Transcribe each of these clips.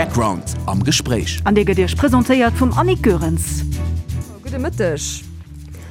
Background am Gespréich. An dee gëtt Iech presentéiert vum Annick Goerens. Gudde Mëtteg.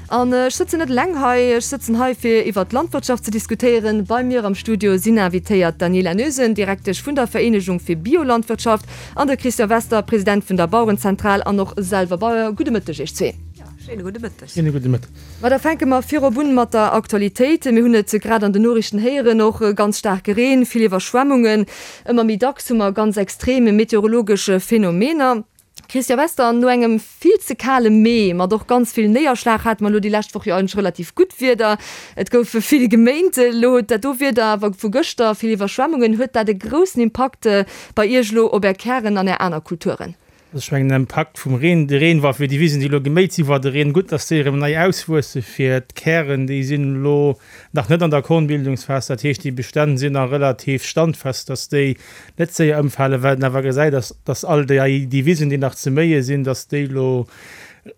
An ech sëtzen net eleng hei, ech sëtzen hei fir iwwert d'Landwirtschaft ze diskutéieren. Bei mir am Studio sinn invitéiert d'Daniela Noesen, Direktesch vun der Vereenegung fir Biolandwirtschaft, an de Christian Wester, President vun der Bauerenzentral an och selwer Bauer. Gudde Mëtteg Iech zwee. Schéine gudde Mëtteg. Schéine gudde Mëtteg. Ma da fänke mer virop un mat der Aktualitéit. Mir hunn et grad an den Noriichten héieren, och ganz staarke Reen, vill Iwwerschwemmungen. Ëmmer méi dacks hu mer ganz extrem meteorologesch Phänomener. Christian Wester, no engem vill ze kale Mee mat och ganz vill Néierschlag hate mer elo déi lescht Woch jo eigentlech relativ gutt Wieder. Et gouf vill geméint. Elo huet dat do Wieder awer vu gëschter, vill Iwwerschwemmungen, huet dat e groussen Impakt bei Iech elo op Är Kären an Är aner Kulturen? Also ech mengen den Impakt vum Reen, de Reen war fir déi Wisen déi elo geméit sinn, war de Reen gutt, dass déi erëm nei auswuesse fir d'Kären, déi sinn elo nach net an der Kornbildungsphas, dat heescht déi Bestänn sinn nach relativ standfest, dass déi net séier ëmfalen. Wat een awer gesäit ass, dass all déi déi Wisen déi nach ze méie sinn, dass déi elo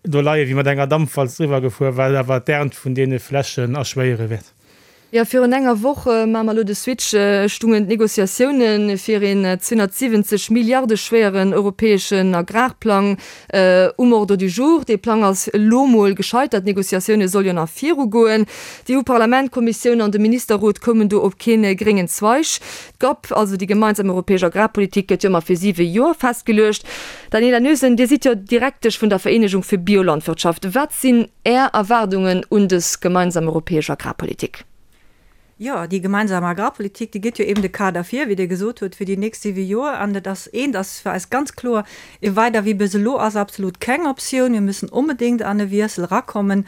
do leie wéi mat enger Dampwalz driwwer gefuer, wat awer d'Ernt vun deene Flächen erschwéiere wäert. Jo, virun enger Woch, maache mer elo de Switch, stungen d'Negociatioune fir een 270 Milliarde schwéieren europäeschen Agrarplang um Ordre du jour. Dee Plang ass elo mol gescheitert, d'Negociatioune soll jo nach virugoen. D'EU-Parlament, d'Kommissioun an de Ministerrot koumen do op kee gréngen Zweig. D'GAP, also déi gemeinsam europäesch Agrarpolitik, gëtt jo ëmmer fir siwe Joer festgeluecht. Daniela Noesen, Dir sidd jo Direktesch vun der Vereenegung fir Biolandwirtschaft. Wat sinn Är Erwaardungen un dës gemeinsam europäesch Agrarpolitik? Jo, déi gemeinsam Agrarpolitik, déi gëtt jo eben de Kader vir, wéi Dir gesot hutt, fir déi nächst siwe Joer. An et ass eent ass fir eis ganz kloer, E weider wéi bis elo ass absolut keng Optioun. Mir müssen onbedéngt an e Wiessel erakommen.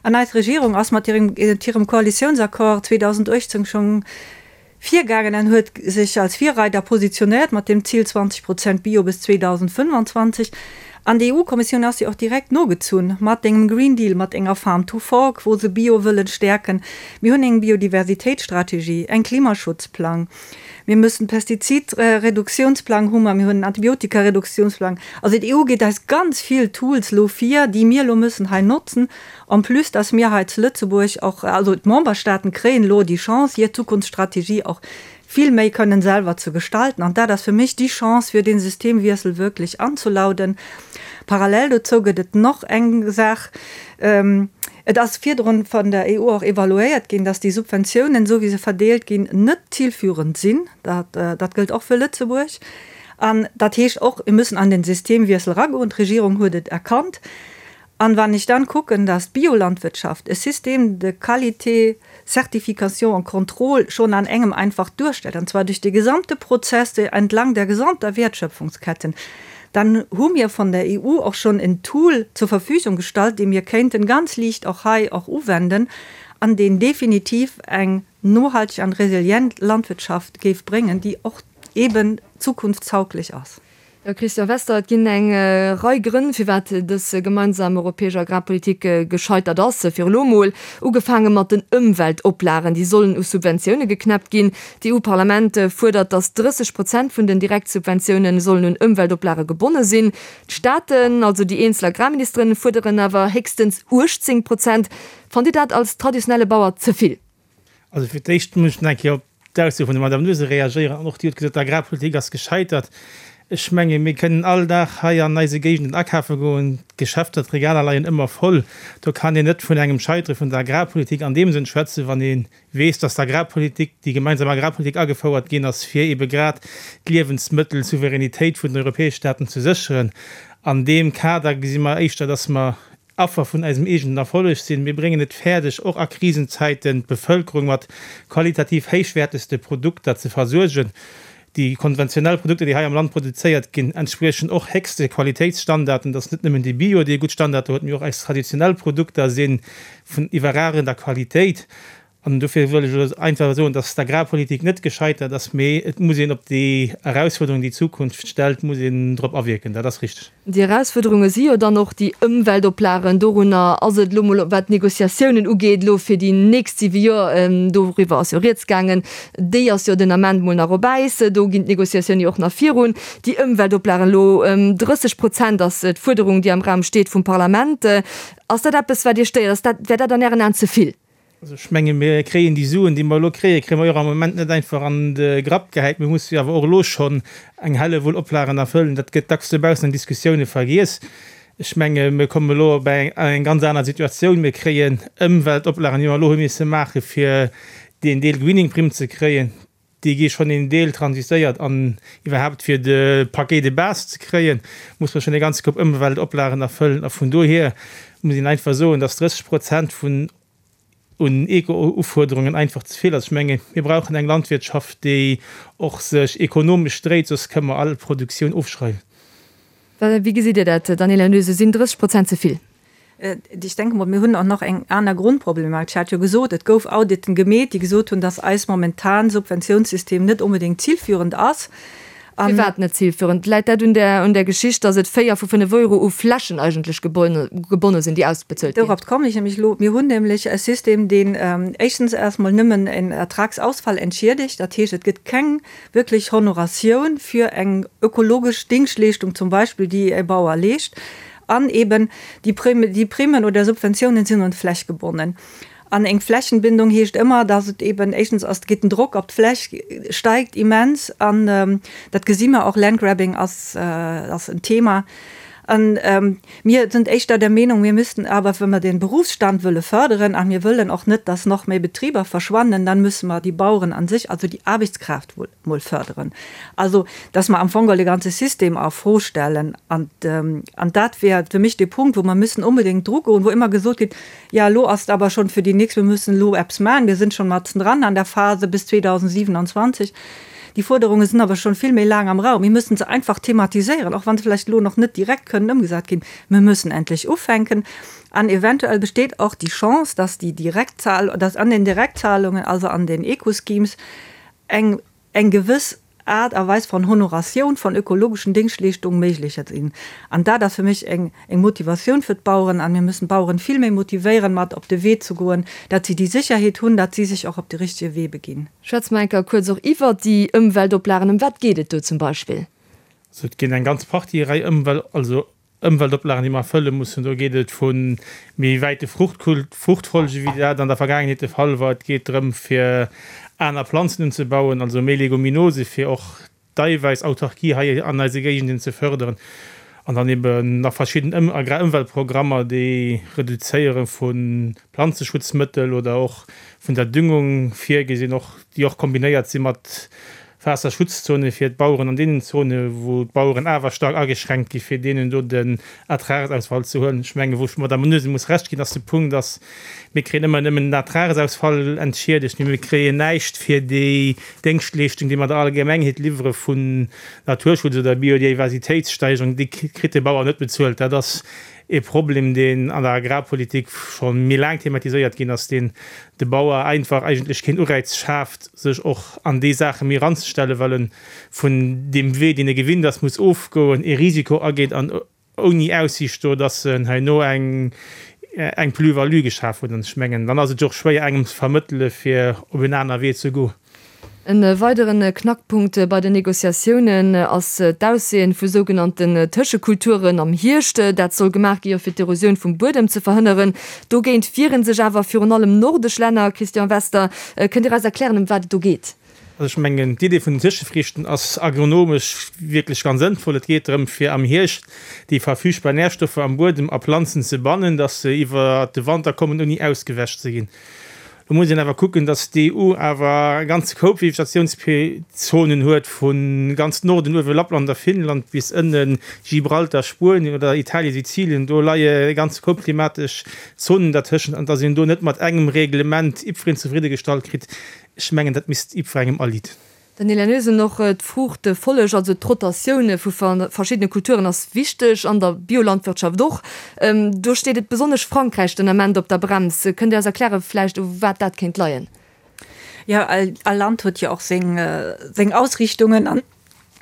An eis Regierung ass mat hirem Koalitiounsaccord 2018 schonn Virgaangen an huet sech als Virreider positionéiert mat dem Zil 20 Prozent Bio bis 2025. An d'EU-Kommissioun ass jo och direkt nogezunn mat engem Green Deal, mat enger Farm to Fork, wou se Bio wëllen stäerken. Mir hunn eng Biodiversitéitsstrategie, eng Klimaschutzplang, mir müssen Pestizidreduktiounsplang hu mer, mir hunn en Antibiotikareduktiounsplang. Also d'EU geet eis ganz vill Tools elo vir, déi mir elo müssen hei notzen. En plus, dass mir hei zu Lëtzebuerg och, also d'Memberstaaten kréien elo déi Chance, hir Zukunftsstrategie och vill méi kënnen selwer ze gestalten. An dat ass fir mech déi Chance, fir dee Systemwiessel wierklech anzulauden. Parallel dozou gëtt et nach eng Saach, Et ass virdrun vun der EU och evaluéiert ginn, dass déi Subventiounen, esou wéi se verdeelt ginn, net zilführend sinn. Dat, dat gëllt och fir Lëtzebuerg. An dat heescht och, mir müssen an den Systemwiessel eragoen. D'Regierung huet et erkannt. An wann ech dann kucken, dass d'Biolandwirtschaft e Système de qualité, certification und contrôle schon an engem einfach duerstellt, an zwar duerch de gesamte Prozess entlang der gesamter Wertschöpfungsketten, dann hu mir von der EU och schon en Tool zur Verfügung gestallt, dee mir kéinten ganz liicht och hei och uwenden an deen definitiv eng nohalteg an resilient Landwirtschaft géif bréngen, déi och eben zukunftstauglech ass. Christian Wester, Et ginn eng Rei Grënn, firwat dës gemeinsam europäesch Agrarpolitik gescheitert ass. Fir elo mol ugefaange mat den Ëmweltoplagen, déi sollen u Subventioune geknäppt ginn. D'EU-Parlament fuerdert, datt 30 Prozent vun den Direktsubventioune sollen un Ëmweltoplage gebonne sinn. D'Staaten, also déi eenzel Agrarministeren, fuerderen awer héchstens 18 Prozent. Fannt Dir dat als traditionelle Bauer ze vill? Also fir d'éischt muss ech nach eng Kéier op d'Ausso vun der Madame Noesen reagéieren. An och déi huet gesot, d'Agrarpolitik ass gescheitert. Ech menge mir kënnen all Dag hei an eise Géigenden akafe goen, d'Geschäfter, d'Regaler leien ëmmer voll. Do kann een net vun engem Scheitere vun der Agrarpolitik an deem Sënn schwätzen, wann ee weess, dass d'Agrarpolitik, déi gemeinsam Agrarpolitik agefouert ginn ass, fir ebe grad d'Liewensmëttelsouveränitéit vun den europäesche Staaten ze sécheren. An deem Kader gesi mer éischter, dass mer Affer vun eisem eegenen Erfolleg sinn. Mir bréngen et fäerdeg, och a Krisenzäiten d'Bevëlkerung mat qualitativ héichwäertegste Produkter ze versuergen. Déi konventionell Produkter, déi hei am Land produzéiert ginn, entspriechen och héchste Qualitéitsstandarden. Et ass net nëmmen de Bio, dee gutt Standarder huet, mee och eis traditionell Produkter si vun iwwerragender Qualitéit. An dofir wëll ech elo einfach soen, dass d'Agrarpolitik net gescheitert ass, mee et muss een op déi Erausfuerderungen, déi d'Zukunft stellt, muss een drop awierken. Dat ass richteg. Déi Erausfuerderunge si jo dann och déi Ëmweltoplagen. Dorunner ass et elo mol, wat d'Négociatiounen ugeet, elo fir déi nächst siwe Joer, doriwwer ass jo rieds gaangen, déi ass jo den Ament mol nach op Äis, do ginn d'Négociatioune jo och nach virun. Déi Ëmweltoplagen elo, 30 Prozent ass d'Fuerderung, déi am Raum steet vum Parlament. Ass dat eppes, wat Iech stéiert? Ass dat, wär dat an Ären Aen ze vill? Also ech menge mir kréien déi Suen, déi mer elo kréien, kréie mer jo och am Moment net einfach an de Grapp gehäit. Mir musse jo awer och elo schonn eng Hellewull Oplagen erfëllen. Dat gëtt dacks dobaussen an Diskussioune vergiess. Ech menge mir kommen elo op eng ganz aner Situatioun. Mir kréien Ëmweltoplagen, déi mer elo hu misse maache fir deen Deel Greening-Primm ze kréien, déi gi schonn een Deel transitéiert an iwwerhaapt fir de Paquet de base ze kréien, muss mer schonn e ganze Koup Ëmweltoplagen erfëllen. A vun dohier muss een einfach soen, dass 30 Prozent vun un Eco-Ufuerderungen einfach ze vill ass. Ech menge mir brauchen eng Landwirtschaft, déi och sech ekonomesch dréit, soss kënne mer all Produktioun ofschreiwen. Wéi gesitt Dir dat, Daniela Noese? Sinn 30 Prozent ze vill? Ech denke mol, mir hunn och nach eng aner Grundproblematik. Ech hat jo gesot, et gouf Auditen gemeet, déi gesot hunn, dass eis momentan Subventiounssystem net onbedéngt zilführend ass. An. Firwat net zilführend? Läit dat un der, un der Geschicht, dass et 4 vu 5 Euro u Flächen eigentlech gebonne sinn, déi ausbezuelt ginn? Dorop kommen ech nämlech elo. Mir hunn nämlech e System, deen éischtens erst mol nëmmen en Ertragsausfall entschiedegt. Dat heescht, et gëtt keng wierklech Honoratioun fir eng ökologesch Dingschtleeschtung zum Beispill, déi e Bauer leescht. An eben déi Prime, déi Primen oder Subventiounen sinn un d'Fläch gebonnen. An eng Flächenbindung heescht ëmmer, dass et eben éischtens ass, geet den Drock op d'Fläch steigt immens an dat gesi mer och, Landgrabbing ass, ass en Thema. An mir sind éischter der Meenung, mir müssten awer, wa mer den Berufsstand wëlle förderen a mir wëllen och net, dass nach méi Betriber verschwannen, dann müsse mer déi Baueren an sech, also déi Aarbechtskraaft, mol förderen. Also, dass mer am Fong geholl de ganze System a Fro stellen. An, an dat wär fir mech dee Punkt, wou mer müssen onbedéngt drugoen, wou ëmmer gesot gétt, Jo, elo ass et awer schonn fir déi nächst, mir müssen elo eppes maachen, mir sinn schonn matzendran an der Phase bis 2027. Déi Fuerderunge sinn awer schonn vill méi laang am Raum. Mir müssen se einfach thematiséieren, och wa se vläicht elo nach net direkt kënnen ëmgesat ginn. Mir müssen endlech ufänken. An eventuell besteet och déi Chance, dass déi Direktzahl, dass an den Direktzahlungen, also an den Eco-Schemes, eng eng gewëss Aart a Weis von Honoratioun von ökologeschen Déngschtleeschtungen méiglech sinn. An dat ass fir mech eng eng Motivatioun fir d'Baueren. An mir müssen d'Baueren vill méi motivéieren, mat op de Wee ze goen, dat si déi Sécherheet hunn, dat si sech och op de richtige Wee beginn. Schwätze mer eng Kéier kuerz och iwwert déi Ëmweltoplagen. Ëm wat geet et do zum Beispill? Also et ginn eng ganz Partie Rei Ëmwel-, also Ëmweltoplagen, déi mer erfëlle mussen. Do geet et vu méi wäite Fruchtfolge wéi dat an der Vergaangenheet de Fall war. Et geet drëm, fir aner Planzen unzebauen, also méi Leguminose, fir och d'Eiwäissautarkie hei an eise Géigenden ze fërderen. An dann eben nach verschidden Agrarëmweltprogrammer, déi Reduzéiere vu Planzeschutzmëttel oder och vun der Düngung virgesinn, och déi och kombinéiert si mat Waasserschutzzonen fir d'Baueren an deenen Zonen, wou d'Baueren awer staark ageschränkt gi fir deenen do den Ertragsausfall ze huelen. Ech mengen, wou ech der Madame Noesen muss Recht ginn, ass de Punkt, dass mir kréien ëmmer nëmmen den Ertragsausfall entschiedegt, mee mir kréien näischt fir déi Déngschtleeschtung, déi mer der Allgemengheet liwwere vun Naturschutz oder Biodiversitéitssteigerung, déi kritt de Bauer net bezuelt. Dat ass ee Problem, deen an der Agrarpolitik scho méi laang thematiséiert ginn ass, deen de Bauer einfach eigentlech keen Ureiz schaaft, sech och an déi Saache méi eranzestellen, well e vun deem Wee, deen e gewinnt ass, muss ofgoen, ee Risiko ageet an ouni Aussiicht do, dass en herno eng eng Plus-value geschaf huet. An ech mengen, dann ass et jo och schwéier engem ze vermëttele fir op en aner Wee ze goen. E weideren Knackpunkt bei den Negociatiounen ass d'Ausseeën vu sougenannten Tëschekulturen am Hierscht. Dat soll gemaach gi jo fir d'Erosioun vum Buedem ze verhënneren. Dogéint wiere sech awer virun allem nordesch Länner. Christian Wester, kënnt Dir eis erklären ëm wat et do geet? Also ech mengen, d'Idee vun den Tëschefrichten ass agronomesch wierklech ganz sënnvoll. Et geet drëm, fir am Hierscht déi verfügbar Närstoffer am Buedem a Planzen ze bannen, dass se iwwer de Wanter kommen ouni ausgewäsch ze ginn. Do muss een awer kucken, datt d'EU awer e ganze Koup Vegetatiounszonen huet, vu ganz Norden, uewe Lappland a Finnland, bis ënne Gibraltar, Spuenien oder Italien, Sizilien. Do leie e ganze Koup klimatesch Zonen dertëschent. An datt een do net mat engem Reglement jiddwereen zefriddegestallt kritt, ech mengen, dat misst jiddwerengem aliit. Daniela Noesen, Och d'Fruuchtefolleg, also d'Rotatioun vu verschiddene Kulturen ass wichteg, an der Biolandwirtschaft och. Do steet et besonnesch Frankräich den Ament op der Brems. Kënnt Dir eis erkläre vläicht u wat dat kéint leien? Jo, all Land huet jo och seng Ausriichtungen an,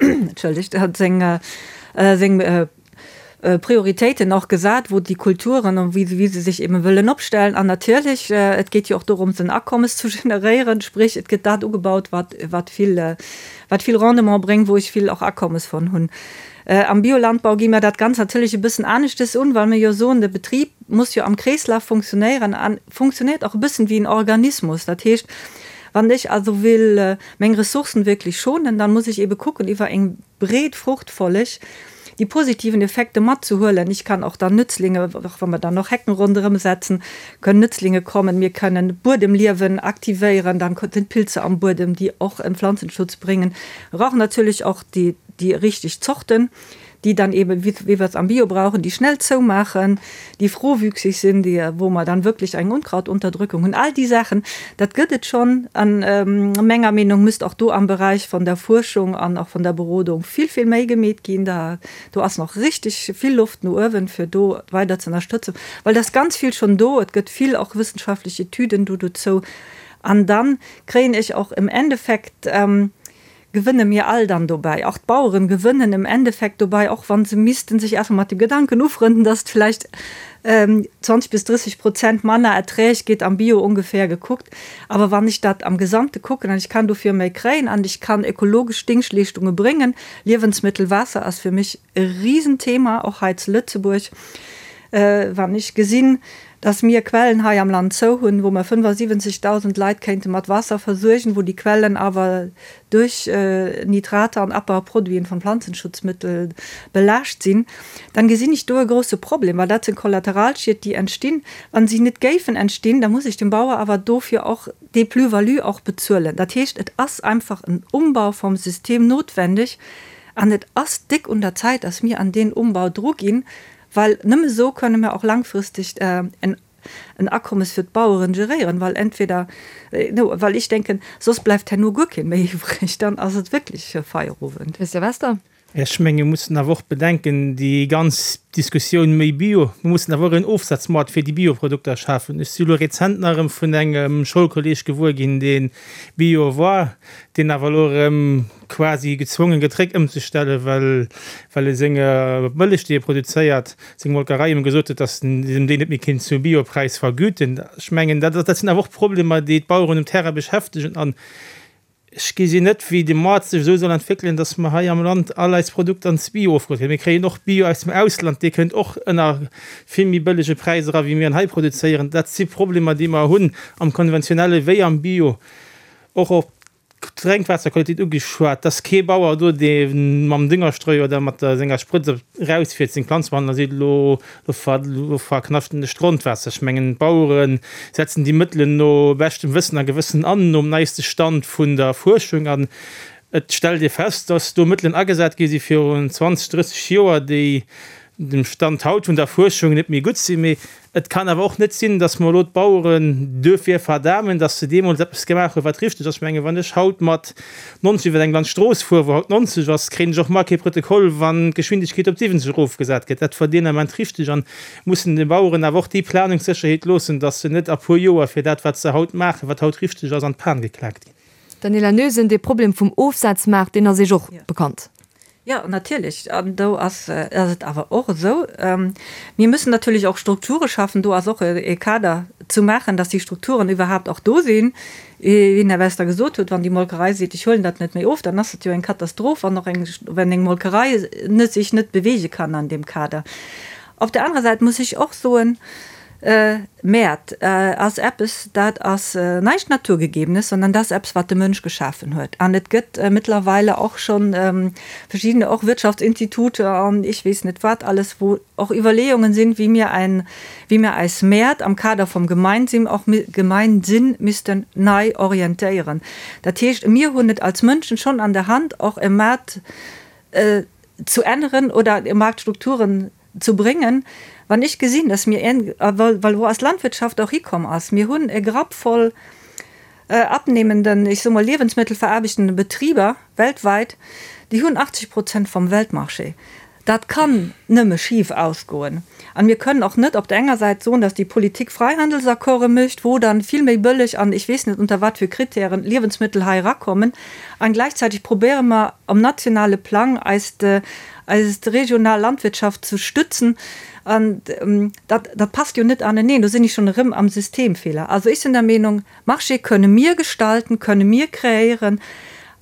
entschëllegt, seng. Prioritéiten och gesat, wou déi Kulturen an wéi se sech eben wëllen opstellen. An natierlech, et geet jo och dorëms en Akommes zu generéieren, sprich et gëtt dat ugebaut, wat wat vill wat vill Rendement bréngt, wou ech vill och Akommes von hunn. Am Biolandbau gi mir dat Ganzt natierlech e bëssen aneschtes un, well mir jo soen, de Betrib muss jo am Kreeslaf funktionéieren a funktionéiert och e bëssen wéi en Organismus. Dat heescht, wann ech also will meng Ressourcen wierklech schonen, dann muss ech ebe kucken iwwer eng breet Fruchtfolleg, déi positiven Effekte matzehuelen. Ich kann och dann Nützlinge, och wa mer dann och Hecken ronderëm setzen, können Nützlinge kommen, mir können Buedemliewen aktivéieren, dann sinn d'Pilze am Buedem, déi och en Pflanzenschutz bréngen. Mir brauchen natierlech och déi, déi richteg Zorten, déi dann eben, wéi wéi wir es am Bio brauchen, déi schnell zoumaachen, déi frohwüchsig sinn, déi, wou mer dann wierklech eng Unkrautunterdrückung hunn. All déi Saachen, dat gëtt et schonn. An menger Meenung müsst och do am Beräich von der Fuerschung an och von der Berodung vill, vill méi gemeet ginn. Da, do ass nach richtig vill Loft no uewen, fir do weider ze ënnerstëtzen, well et ass ganz vill schonn do. Et gëtt vill och wëssenschaftlech Etüden do dozou. An dann kréien ech och im Endeffekt, gewënne mir all dann dobäi, och d'Baueren gewënnen im Endeffekt dobäi, och wa se missten sech erstmal mat dem Gedanken ufrënden, dass et vläicht 20 bis 30 Prozent manner Erträg gétt am Bio ongeféier gekuckt. Awer wann ech dat am Gesamte kucken an ech kann dofir méi kréien an ech kann ökologesch Dingschtleeschtunge bréngen, Liewensmëttel, Waasser ass fir mech e Riesenthema, och hei zu Lëtzebuerg, wann ech gesinn, dass mir Quellen hei am Land zou hunn, wou mer 75.000 Leit kéinte mat Waasser versuergen, wou déi Quellen awer duerch Nitrater an Abbauproduiten von Pflanzenschutzmittel belaascht sinn, dann gesinn ech do e grouse Problem, well dat sinn Kollateralschied, déi entstinn. Wa si net géifen entstinn, da muss ech dem Bauer awer dofir och déi Plus-value och bezuelen. Dat heescht, et ass einfach en Umbau vom System notwendig an et ass déck un der Zäit, dass mir an deen Umbau druginn, Well nëmme esou kënne mir och langfristeg en en Akommes fir d'Baueren geréieren, well entweder, no, well ech denken, soss bleift herno guer keen méi iwwreg, dann ass et wierklech Feierowend. Christian Wester. Ech menge mir mussen awer och bedenken, déi ganz Diskussioun méi Bio, mir mussen awer och en Ofsazmaart fir déi Bioprodukter schafen. Ech si elo rezent nach erëm vun engem Schoulkolleeg gewuer ginn, dee Bio war, deen awer elo erëm quasi gezwongen gëtt réck ëmzestellen, well well e seng Mëllech déi e produzéiert, seng Molkerei em gesot huet, datt en em déi net méi kéint zu Biopräis vergüten. Ech mengen dat dat sinn awer och Problemer déi d'Baueren um Terrain beschäftegen an ech gesinn net wéi de Moart sech esou soll entwéckelen, datt mer hei am Land all eis Produkter ans Bio ofgeholl kréien. Mir kréien och Bio aus dem Ausland, dee kënnt och ënner vill méi bëllege Präis era wéi mir en hei produzéieren. Dat si Problemer déi mer hunn am konventionelle wéi am Bio. Och op Drénkwaasserqualitéit ugeschwat, dass kee Bauer do, dee mam Düngerstreu oder mat der senger Sprëtz erausfiert, seng Planz behandelt a seet, elo elo verknaschten ech d'Grondwaasser. Ech mengen, d'Bauere setzen déi Mëttelen no beschtem Wëssen a Gewëssen an, nom neiste Stand vun der Fuerschung. An et stellt ee fest, dass do Mëttelen agesat gi si virun 20, 30 Joer, déi dem Stand haut vun der Fuerschung net méi gutt sinn. Mee et kann awer och net sinn, datt mer elo d'Baueren duerfir verdamen, datt se deemools eppes gemaach hunn, wat richteg ass. Ech mengen, wann ech haut mat 90 iwwer eng Landstrooss fueren, wou haut 90 ass, kréien ech och mar kee Protokoll, wann d'Geschwindegkeet op 70 erofgesat gëtt. Dat war deen Ament richteg an mussen de Baueren awer och déi Planungssécherheet loossen, datt se net a puer Joer fir dat, wat se haut maachen, wat haut richteg ass, an d'Pan geklaakt ginn. Daniela Noesen, Dee Problem vum Ofsazmaart, deen ass Iech och bekannt. Jo, natierlech. An do ass et awer och esou, mir müssen natierlech och Strukture schaffen. Do ass och e Kader zu maachen, dass déi Strukturen iwwerhaapt och do sinn. Wéi den Här Wester gesot huet, wann déi Molkerei seet, ech huelen dat net méi of, dann ass et jo eng Katastroph, wann och eng, wenn eng Molkerei net, sech net bewege kann an deem Kader. Op der anerer Säit muss ech och soen, Mäert ass eppes, dat ass näischt Naturgegebenes, sondern dat ass eppes, wat de Mënsch geschafen huet. An et gëtt mëttlerweile och scho verschiddene och Wirtschaftsinstitute an ech weess net wat alles, wou och Iwwerleeungen sinn, wéi mir ein, wéi mir eis Mäert am Kader vum Gemeinsinn och Gemeinsinn missten nei orientéieren. Dat heescht, mir hunn et als Mënschen schonn an der Hand, och e Maart zu änneren oder Marktstrukturen zu bréngen, wann ech gesinn, dass mir en, well wou eis Landwirtschaft och hikomm ass, mir hunn e Grapp voll abnehmenden, ech soe mol liewensmëttelveraarbechtenden Betriber weltweit, déi hunn 80 Prozent vum Weltmarché. Dat kann nëmme schif ausgoen. An mir kënnen och net op der enger Säit soen, dass déi Politik Freihandelsaccorde mécht, wou dann vill méi bëlleg an ech weess net unter wat fir Kritären Liewensmëttel hei erakommen, an gläichzäiteg probéiere mer um nationale Plang eist eis regional Landwirtschaft ze stützen. An dat dat passt jo net aneneen. Do sinn ech schonn erëm am Systemfehler. Also ech sinn der Meenung, Marché kënne mir gestalten, kënne mir kreéieren.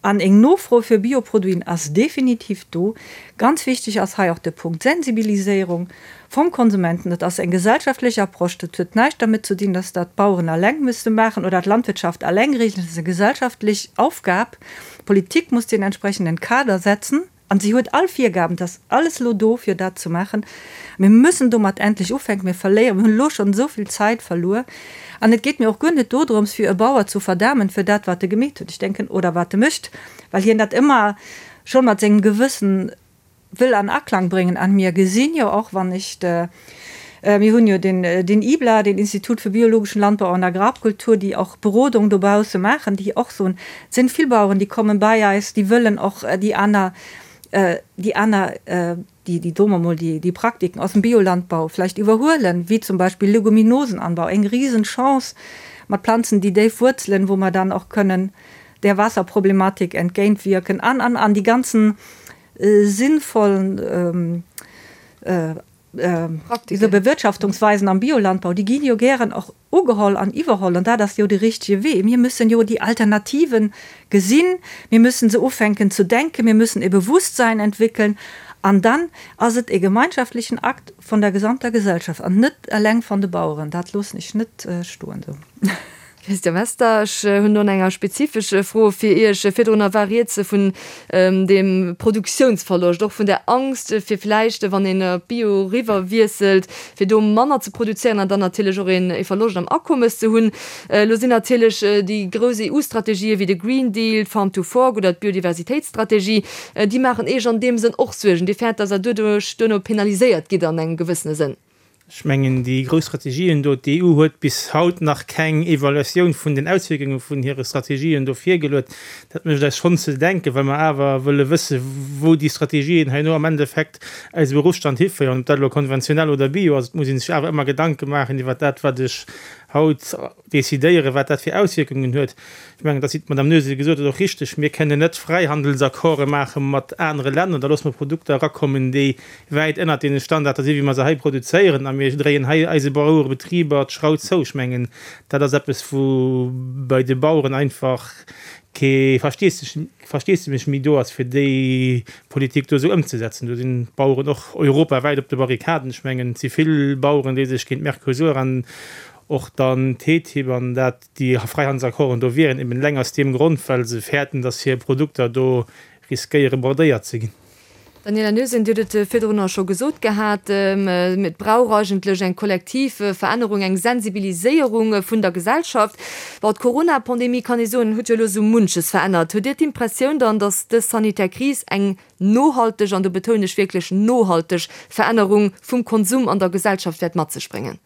An eng Nofro fir Bioproduiten ass definitiv do. Ganz wichteg ass hei och de Punkt Sensibiliséierung vum Konsumenten. Dat ass eng gesellschaftlech Approche. Dat huet näischt dermit ze dinn, dass dat d'Baueren eleng müsste maachen oder d'Landwirtschaft eleng regelen. Dat ass eng gesellschaftlech Aufgab. D'Politik muss den entsprechenden Kader setzen. An si huet all Virgaben, et ass alles elo do, fir dat ze maachen. Mir müssen domat endlech ufänken. Mir verléieren, mir hunn elo schonn esou vill Zäit verluer. An et geet mir och guer net dodrëms, fir e Bauer zu verdamen fir dat, wat e gemeet huet, ech denken, oder wat e mécht, well hien dat ëmmer scho mat sengem Gewëssen wëll an Aklang bréngen. An mir gesinn jo och, wann ech de, mir hunn jo den, den IBLA, den Institut für biologischen Landbau und Agrarkultur, déi och Berodung dobausse maachen, déi och soen, Et sinn vill Baueren, déi kommen bei eis, déi wëllen och déi aner, déi aner, déi, déi soe mer mol, déi, déi Praktiken aus dem Biolandbau vläicht iwwerhuelen, wéi zum Beispill Leguminosenanbau, eng Riesenchance mat Planzen, déi déif wuerzelen, wou mer dann och kënnen der Wasserproblematik entgéintwierken an, an, an déi ganzen sinnvollen esou Bewirtschaftungsweisen am Biolandbau, déi ginn jo gären och ugeholl an iwwerholl, an dat ass jo de richtege Wee. Mir müssen jo déi Alternativen gesinn, mir müssen se ufänken zu denken, mir müssen e Bewusstsein entwickeln, an dann ass et e gemeinschaftlichen Akt von der gesamter Gesellschaft an net eleng von de Baueren. Dat loossen ech net stoen esou. Christian Wester, Ech hunn do enger spezifesch Fro fir Iech. Virdrunner war rieds vun deem Produktiounsverloscht, och vun der Angst, fir vläicht, wann een op Bio eriwwer wiesselt, fir do manner ze produzéieren an dann natierlech och ee Verloscht am Akommes ze hunn. Elo sinn natierlech déi grouss EU-Strategië wéi de Green Deal, d'Farm to Fork oder d'Biodiversitéitsstrategie, déi maachen Iech an deem Sënn och Suergen. Dir fäert, datt Der doduerch duerno penaliséiert gitt an engem gewëssene Sënn. Ech mengen, déi grouss Strategien do, d'EU huet bis haut nach keng Evaluatioun vun den Auswierkunge vun hire Strategien do virgeluet. Dat mécht eis schonn ze denken, well mer awer wëlle wësse wou déi Strategien herno am Endeffekt eise Beruffsstand hiféieren, ob dat elo konventionell oder bio ass. Et muss ee sech awer ëmmer Gedanke maachen iwwert dat, wat ech haut decidéieren, wat dat fir Auswierkungen huet. Ech mengen, dass, wéi d'Madame Noesen gesot huet, och richtig, mir kënnen net Fräihandelsaccorde maache mat anere Länner, da loosse mer Produkter erakommen, déi wäit ënnert deene Standarder sinn, wéi mer se hei produzéieren, a mir dréien hei eise Bauerebetriber d'Schrau zou. Ech mengen, dat ass eppes, wou bei de Baueren einfach kee Versteesdemech méi do ass, fir déi Politik do esou ëmzesetzen. Do sinn d'Baueren och europawäit op de Barrikaden. Ech mengen, et si vill Baueren, déi sech géint Mercosur an och dann TTIP an dat, déi Fräihandelsaccorden do wieren, eben eleng aus deem Grond, well se fäerten, datt hir Produkter do riskéiere bordéiert ze ginn. Daniela Noesen, Dir hutt et virdrunner scho gesot gehat, et brauch eigentlech eng kollektiv Verännerung, eng Sensibiliséierung vun der Gesellschaft. Bon, d'Corona-Pandemie, kann ee soen, huet jo elo esou munches verännert. Hutt Dir d'Impressioun dann, datt dës sanitär Kris eng nohalteg, an do betounen ech wierklech nohalteg, Verännerung vum Konsum an der Gesellschaft wäert mat sech bréngen?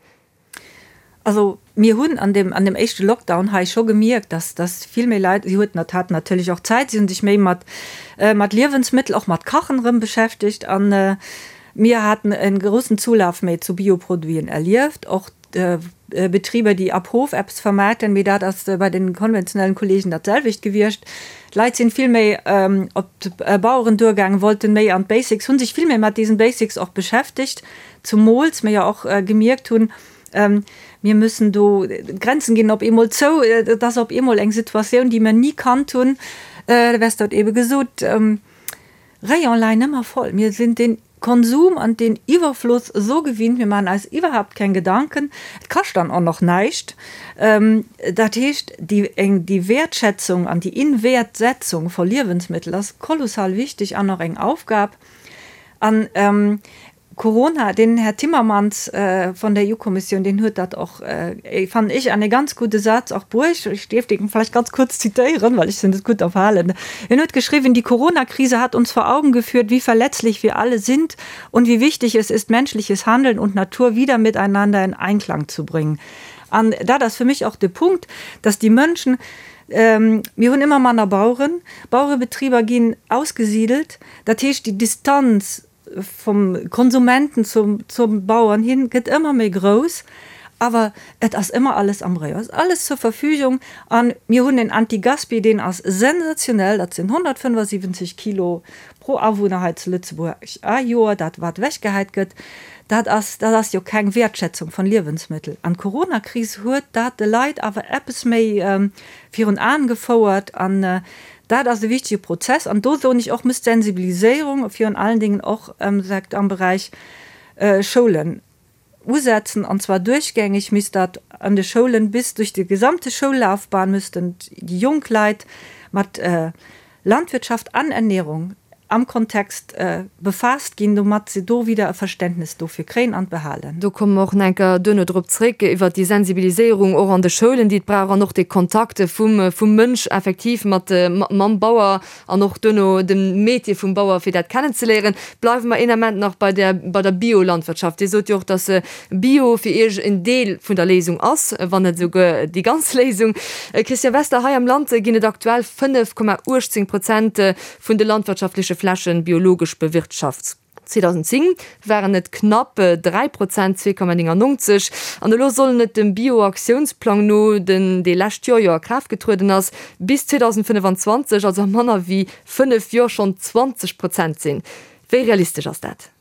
Also mir hunn an deem, an deem éischte Lockdown hei scho gemierkt, dass, dass vill méi Leit, si huet, haten natierlech och Zäit, si hunn sech méi mat, mat Liewensmëttel, och mat Kachen erëm beschäftegt an mir haten e groussen Zulaf méi zu Bioproduiten erlieft, och Betriber, déi ab Hof eppes vermaarten, mee dat ass bei den konventionellen Kollegen dat selwecht gewiescht. D'Leit sinn vill méi op d'Baueren duergaangen, wollten méi an d'Basics, hunn sech vill méi mat diesen Basics och beschäftegt. Zumools mir jo och gemierkt hunn, mir müssen do, d'Grenzen ginn op eemol zou, et ass op eemol eng Situatioun, déi mir ni kannt hunn, de Wester huet ebe gesot, Rayon leien ëmmer voll, mir sinn deen Konsum an deen Iwwerfloss esou gewinnt, mir maachen eis iwwerhaapt keng Gedanken, et kascht dann och nach näischt. Dat heescht, déi eng, déi Wäertschätzung an déi Inwäertsetzung vu Liewensmittel ass kolossal wichteg an och eng Aufgab. An Corona, den Här Timmermans von der EU-Kommissioun, deen huet dat och, fannen ech, an e ganz gudde Saz och bruecht. Ech dierf dee vläicht ganz kuerz zitéieren, well ech sinn net gutt am Verhalen. En huet geschriwwen, Die Corona-Krise hat uns vor Augen geführt, wie verletzlich wir alle sind und wie wichtig es ist, menschliches Handeln und Natur wieder miteinander in Einklang zu bringen. An dat ass fir mech och de Punkt, dass déi Mënschen, mir hunn ëmmer manner Baueren, Bauerebetriber ginn ausgesidelt, dat heescht, déi Distanz. Vum Konsumenten zum, zum Bauern hin gëtt ëmmer méi grouss, awer et ass ëmmer alles am Rayon, et ass alles zur Verfügung. A mir hunn en Antigaspi, deen ass sensationell, dat sinn 175 Kilo pro Awunner hei zu Lëtzebuerg a Joer, dat wat ewechgehäit gëtt. Dat ass, dat ass jo keng Wäertschätzung von Liewensmëttel. An d'Coronakris huet dat de Leit awer eppes méi virun Aen gefouert an Dat ass e wichtige Prozess an do soen ech och, muss d'Sensibiliséierung virun allen Dingen och am Beräich Schoulen usetzen, an zwar duerchgängig misst dat an de Schoulen bis durch die gesamte Schoullaufbahn müssten déi jonk Leit mat Landwirtschaft an Ernährung am Kontext befaasst ginn, domat se do wieder e Verständnis dofir kréien an behalen. Do komme mer och nach eng Kéier duerno drop zréck, iwwert déi Sensibiliséierung och an de Schoulen, déi et brauch, an och dee Kontakt vum, vum Mënsch effektiv mat, mam Bauer an och duerno dem Métier vum Bauer, fir dat kennenzeléieren. Bleiwe mer een Ament nach bei der, bei der Biolandwirtschaft. Dir sot jo och, dass Bio fir Iech en Deel vun der Léisung ass, wann net esouguer déi ganz Léisung. Christian Wester, hei am Land ginn et aktuell 5,18 Prozent vun de landwirtschaftleche Flächen biologesch bewirtschaft. 2010 waren et knapp 3 Prozent, 2,99, an elo sollen et dem Bio-Aktiounsplang no, den dee lescht Joer jo a Kraaft getrueden ass, bis 2025, also a manner wéi 5 Joer, schonn 20 Prozent sinn. Wéi realistesch ass dat?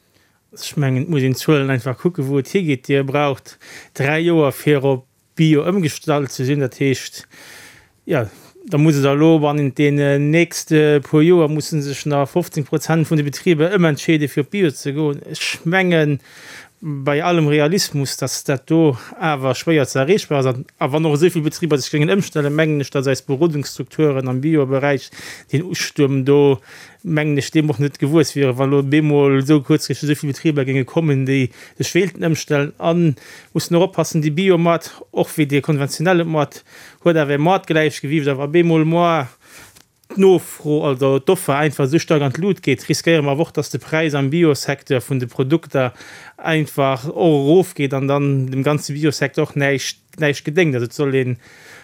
Ech mengen, et muss een d'Zuelen einfach kucken, wou et higeet. Dir braucht 3 Joer fir op Bio ëmgestallt ze sinn. Dat heescht, jo, da muss et elo bannent deenen nächste puer Joer musse sech nach 15 Prozent vun de Betriber ëmentscheede fir op Bio ze goen. Ech mengen, bei allem Realismus, datt dat do awer schwéier ze erreechbar ass. A wann och esou vill Betriber sech géingen ëmstellen, mengen ech, datt eis Berodungsstrukturen am Bio-Beräich deen Ustuerm do mengen ech, deem och net gewuess wieren, wa lo bemol esou kuerzfristeg esou vill Betriber géinge kommen, déi sech wéilten ëmstellen. A mussen och oppassen, dee Biomoart, och wéi dee konventionelle Moart, huet awer e Moartgläichgewiicht. A wa bemol moar d'Nofro, also d'Offer einfach esou staark an d'Lut geet, riskéiere mer awer och, dass de Präis am Biosecteur vun de Produkter einfach och erofgeet an dann dem ganze Biosecteur och näischt näischt gedéngt. Also et soll een,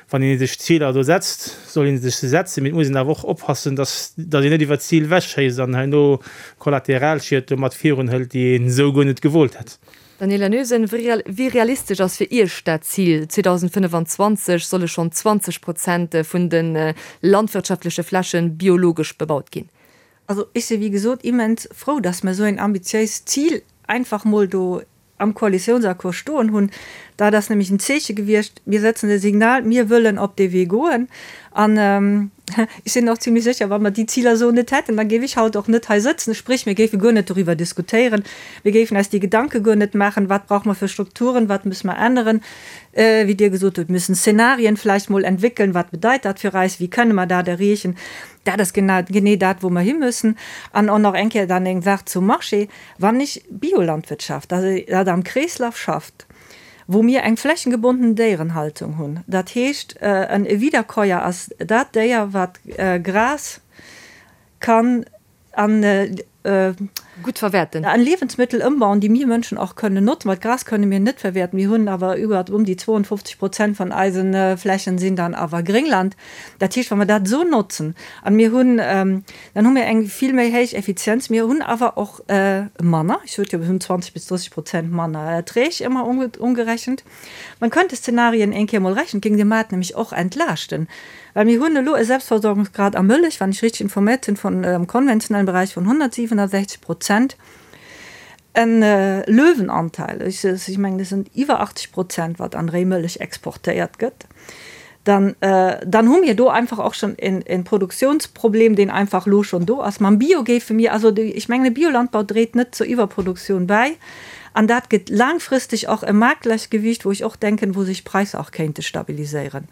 wann ee sech Ziler do setzt, soll ee sech se setzen, mee et muss een awer och oppassen, dass dass een net iwwer d'Zil ewechschéisst an herno Kollateralschied domat virunhëlt, déi een esou guer net gewollt hätt. Daniela Noesen, Wéi realistesch ass fir Iech dat Zil, 2025 solle schonn 20 Prozent vun de landwirtschaftleche Fläche biologesch bebaut ginn? Also ech si wéi gesot immens frou, dass mer esou een ambitiéist Zil einfach mol do am Koalitiounsaccord stoen hunn. Dat ass nämlech en Zeeche gewiescht, mir setzen e Signal, mir wëllen op dee Wee goen. An ech sinn och zimlech sécher, wa mer déi Ziler esou net hätten, da géif ech haut och net hei sëtzen. Spréch, mir géife guer net doriwwer diskutéieren, mir géifen eis déi Gedanke guer net maachen, wat brauche mer fir Strukturen, wat musse mer änneren, wéi Dir gesot hutt, müssen Szenarien vläicht mol entwéckeln, wat bedeit dat fir eis, wéi kënne mer dat erreechen. Dat ass genee dat, wou mer himüssen. An och nach eng Kéier dann eng Saach zum Marché. Wann ech Biolandwirtschaft, also dat am Kreeslaf schafft, wou mir eng flächengebonden Déierenhaltung hunn, dat heescht en Wiederkäuer ass dat Déier wat Gras kann an Gutt verwäerten. An Liewensmëttel ëmbauen, déi mir Mënschen och kënnen notzen, well d'Gras kënne mir net verwäerten. Mir hunn awer iwwer ëm déi 52 Prozent vun eise Flächen sinn dann awer Gréngland. Dat heescht, wa mer dat esou notzen an mir hunn, dann hu mir eng vill méi héich Effizienz. Mir hunn awer och manner, ech sot jo, mir hunn 20 bis 30 Prozent manner Erträg ëmmer umgerechent. Man könnte Szenarien eng Kéier mol rechnen, et géing de Maart nämlech och entlaaschten, well mir hunn elo e Selbstversorgungsgrad a Mëllech, wann ech richteg informéiert sinn, vun am konventionellen Beräich vun 167 Prozent. En Löwenanteil, ech mengen, et sinn iwwer 80 Prozent, wat an Réimëllech exportéiert gëtt. Dann, dann hu mir do einfach och schonn e Produktionsproblem, deen einfach elo schonn do ass. Mam Bio géife mir, also ech mengen, e Biolandbau dréit net zur Iwwerproduktioun bäi an dat gëtt laangfristeg och e Maartgläichgewicht, wou ech och denken, wou sech d'Präisser och kéinte stabiliséieren,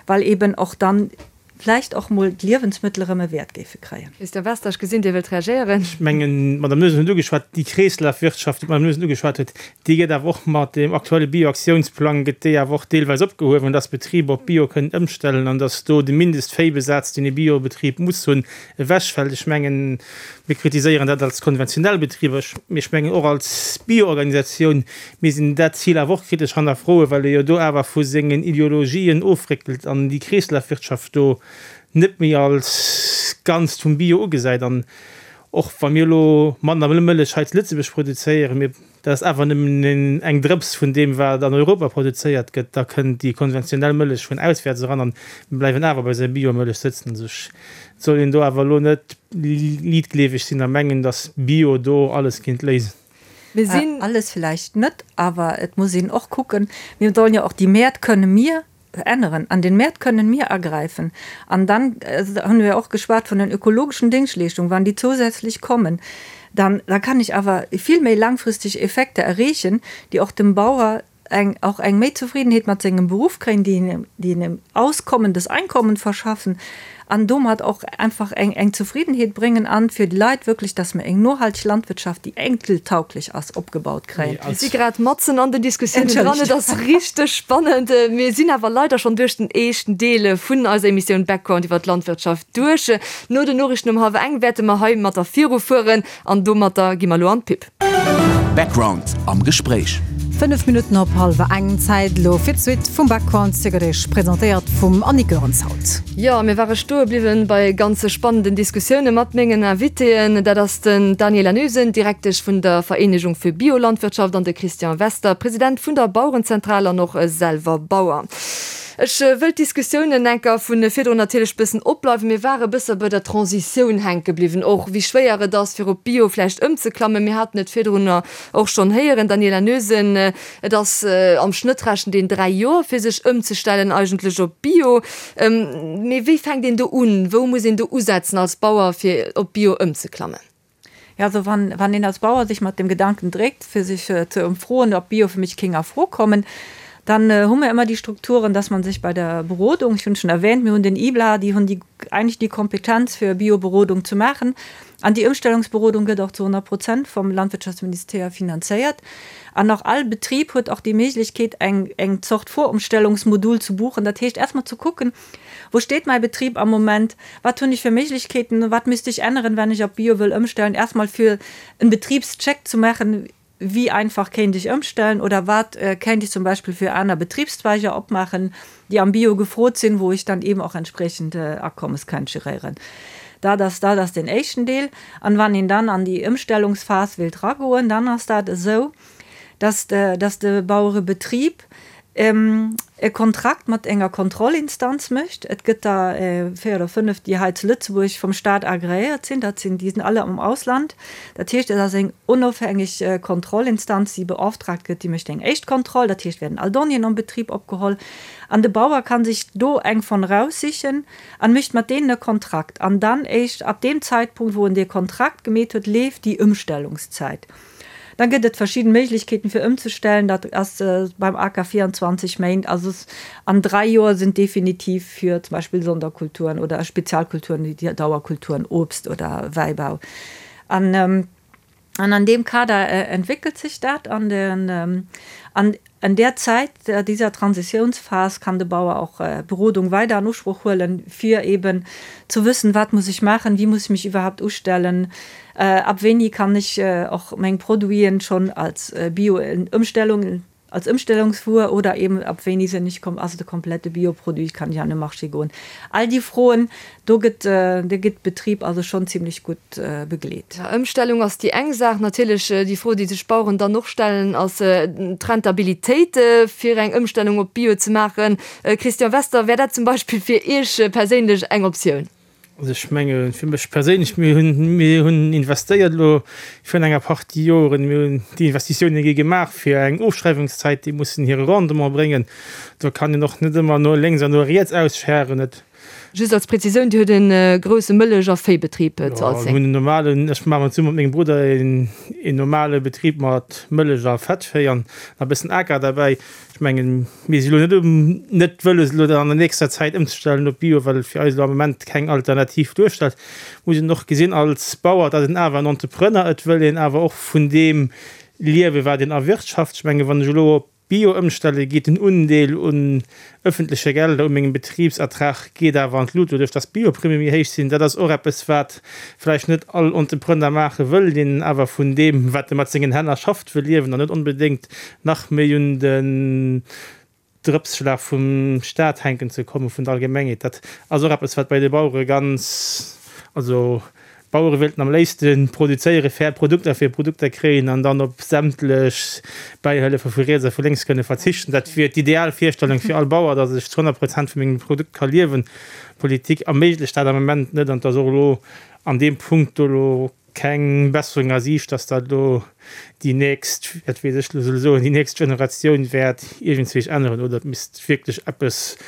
well eben och dann vläicht och mol d'Liewensmëttel erëm e Wäert géife kréien. Christian Wester, ech gesinn, Dir wëllt reagéieren. Ech mengen, d'Madame Noesen huet ugeschwat, déi Kreeslafwirtschaft, déi d'Madame Noesen ugeschwat huet, déi gëtt awer och mat deem aktuelle Bioaktiounsplang gëtt déi awer och deelweis opgehuewen, dass Betriber op Bio kënnen ëmstellen an dass do de Mindestvéibesaz, deen e Biobetrib muss hunn, ewechfält. Ech mengen, mir kritiséieren dat als konventionell Betriber, mee ech mengen och als Bioorganisatioun misst een dat Zil awer och kritesch hannerfroen, well e jo do awer vu sengen Ideologien ofréckelt an déi Kreeslafwirtschaft do net méi als Ganzt vum Bio ugesäit. An. Och wa mir elo manner Mëllech hei zu Lëtzebuerg produzéieren, mir, dat ass awer nëmmen eng Drëps vun deem, wat an Europa produzéiert gëtt, da kënnt déi konventionell Mëllech vun auswäerts eran an mir bleiwen awer bei eiser Biomëllech sëtzen. Also ech, et soll een do awer elo net liitgleeweg sinn a mengen, datt Bio do alles kéint léisen. Mir sinn. Alles vläicht net, awer et muss een och kucken, mir sollen jo och déi Mäert kënne mir änneren. An den Mäert kënnen mir agräifen. An dann hunn wir och geschwat vun den ökologischen Déngschtleeschtungen, wann déi zousätzlech kommen, dann da kann ech awer vill méi langfristig Effekte erreechen, déi och dem Bauer eng och eng méi Zufriedenheet mat sengem Beruff kréien, déi him déi him auskommendes Einkommen verschaffen an domat och einfach eng eng Zufriedenheet bréngen an fir déi Leit wierklech, dass mir eng nohalteg Landwirtschaft, déi enkeltauglech ass, opgebaut kréien. Mir si grad matzen an den Diskussiounen dran. Et ass richteg spannend. Mir sinn awer leider schonn duerch den éischten Deel vun eiser Emissioun Background iwwer d'Landwirtschaft duerch. No den Noriichten um hallwer eng wäerte mer heimatter virufueren an domatter gi mer elo an d'Pub. Background am Gespréich. 5 Minutten op hallwer eng, Zäit elo fir d'Suite vum Background Ziggerig, presentéiert vum Annick Goerens haut. Jo, mir ware stoe bliwwen bei ganze spannenden Diskussioune mat mengen Invitéen. Dat ass den Daniela Noesen, Direktesch vun der Vereenegung fir Biolandwirtschaft an de Christian Wester, President vun der Bauerenzentral an och selwer Bauer. Ech wëll d'Diskussiounen enker vu virdrun natierlech bëssen opbleiwen. Mir ware bësse bei der Transitioun hänke bliwwen, och wéi schwéier et ass, fir op Bio vläicht ëmzeklammen. Mir haten et virdrunner och schonn héieren, Daniela Noesen, et ass am Schnëtt rechent een 3 Joer, fir sech ëmzestellen eigentlech op Bio. Mee wéi fänkt een do un? Wou muss een do usetzen als Bauer, fir op Bio ëmzeklammen? Ja, also wann, wann een als Bauer sich mat dem Gedanken dréckt, fir sich ze ëmfroen, ob Bio fir mech kéng a Fro kommen, dann hu mir ëmmer déi Strukturen, dass man sich bei der Berodung, ech hunn schon erwähnt, mir hunn den IBLA, déi hunn déi eigentlich déi Kompetenz fir Bioberodung ze maachen, an déi Ëmstellungsberodung gëtt och zu 100 Prozent vom Landwirtschaftsministère finanzéiert. An och all Betrib huet och déi Méiglechkeet eng, eng Zort Vorumstellungsmodul ze buchen, dat heescht erst mol ze kucken, Wou steet mäi Betrib am Moment? Wat hunn ech fir Méiglechkeeten? Wat misst ech änneren, wenn ech op Bio wëll ëmstellen? Erstmal fir en Betribscheck zu maachen, Wéi einfach kéint ech ëmstellen oder wat kéint ech zum Beispill fir aner Betribszweiger opmaachen, déi am Bio gefrot sinn, wou ech dann eben och entspriechend Akommes kennt geréieren. Dat ass, dat ass deen éischten Deel. An wann een dann an déi Ëmstellungsphas wéilt ragoen, dann ass dat esou, dass de, dass de Bauerebetrib e Kontrakt mat enger Kontrollinstanz mécht. Et gëtt der 4 oder 5, déi hei zu Lëtzebuerg vum Stat agreéiert sinn. Dat sinn, déi sinn alle am Ausland. Dat heescht, et ass eng onofhängeg Kontrollinstanz, déi beauftragt gëtt, déi mécht eng éischt Kontroll. Dat heescht, werden all Donnéeën am Betrib opgeholl an de Bauer ka sech do eng von raussichen an mécht mat deenen e Kontrakt. An dann éischt ab deem Zeitpunkt, wou en dee Kontrakt gemeet huet, leeft déi Ëmstellungszäit. Dann gëtt et verschidden Méiglechkeeten fir ëmzestellen. Dat ass beim Aker 24 Méint, also an 3 Joer sinn definitiv fir zum Beispill Sonderkulturen oder Spezialkulturen wéi Dauerkulturen, Obst oder Wäibau. An an an deem Kader entwéckelt sech dat an den an an där Zäit dieser Transitionsphase kann de Bauer och Berodung weider an Usproch huelen, fir eben zu wëssen, wat muss ech maachen, wie muss ich mich iwwerhaupt ustellen, ab wéini kann ech och meng Produiten schonn als Bio-Ëmstellung, als Ëmstellungswuer oder eben ab wéini sinn ech, ass et e komplette Bioproduit, kann ech an de Marché goen. All déi Froen Do gëtt de gëtt Betrib also schonn zimlech gutt begleet. Ëmstellung ass déi eng Saach. Natierlech déi Fro, déi sech d'Baueren dann och stellen, ass d'Rentabilitéit fir eng Ëmstellung op Bio ze maachen. Christian Wester, wär dat zum Beispill fir Iech perséinlech eng Optioun? Also ech menge fir mech perséinlech, mir hunn, mir hunn investéiert elo virun enger Partie Joren, mir hunn déi Investitioune gi gemaach fir eng Ofschreiwungszäit, déi mussen hire Rendement bréngen. Do kann een och net ëmmer no lénks an no riets ausscheren. Et Just als Präzisioun, Dir hutt e grousse Mëllech a Véibetrib zu Alzeng. Jo, mir hunn en normalen, ech maachen zesumme mat mengem Brudder een normale Betrib mat Mëllech a Fettvéi an e bëssen Aker derbäi. Ech mengen, mir si lo net um, net wëlles elo dat an der nächster Zäit ëmzestellen op Bio, well et fir eis elo am Moment keng Alternativ duerstellt. Muss een och gesinn als Bauer, dat een awer en Entrepreneur, et wëll een awer och vun deem liewen, wat een erwirtschaft. Ech mengen, wann ech elo op Bio ëmstelle geet den Undeel un ëffentleche Gelder u mengem Betribsertrag geet awer an d'Lut, doduerch dass d'Bioprimme méi héich sinn. Dat ass och eppes, wat vläicht net all Entrepreneur maache wëll, deen awer vun deem, wat e mat sengen Hänn erschafft, wëll liewen an net onbedéngt nach méi un den Drëpsschlag vum Staat hänken ze kommen, vun der Allgemengheet. Dat ass och eppes, wat bei de Bauere ganz, also. D'Bauere wéilten am léifste produzéiere fair Produkter, fir Produkter kréien an dann op sämtlech Bäihëllefe vu riets a vu lénks kënne verzichten. Dat wier d'ideal Virstellung fir all Bauer, datt ech zu 100 Prozent vu mengem Produkt ka liewen. D'Politik erméiglecht dat am Moment net an et ass och elo an deem Punkt do elo keng Besserung a Siicht, datt dat elo déi nächst, wat weess ech elo soll soen, déi nächst Generatioun wäert iergendzwéich änneren oder et misst wierklech eppes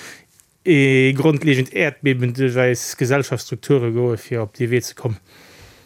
ee grondlegend Äerdbeben duerch eis Gesellschaftsstrukture goe fir op dee Wee ze kommen.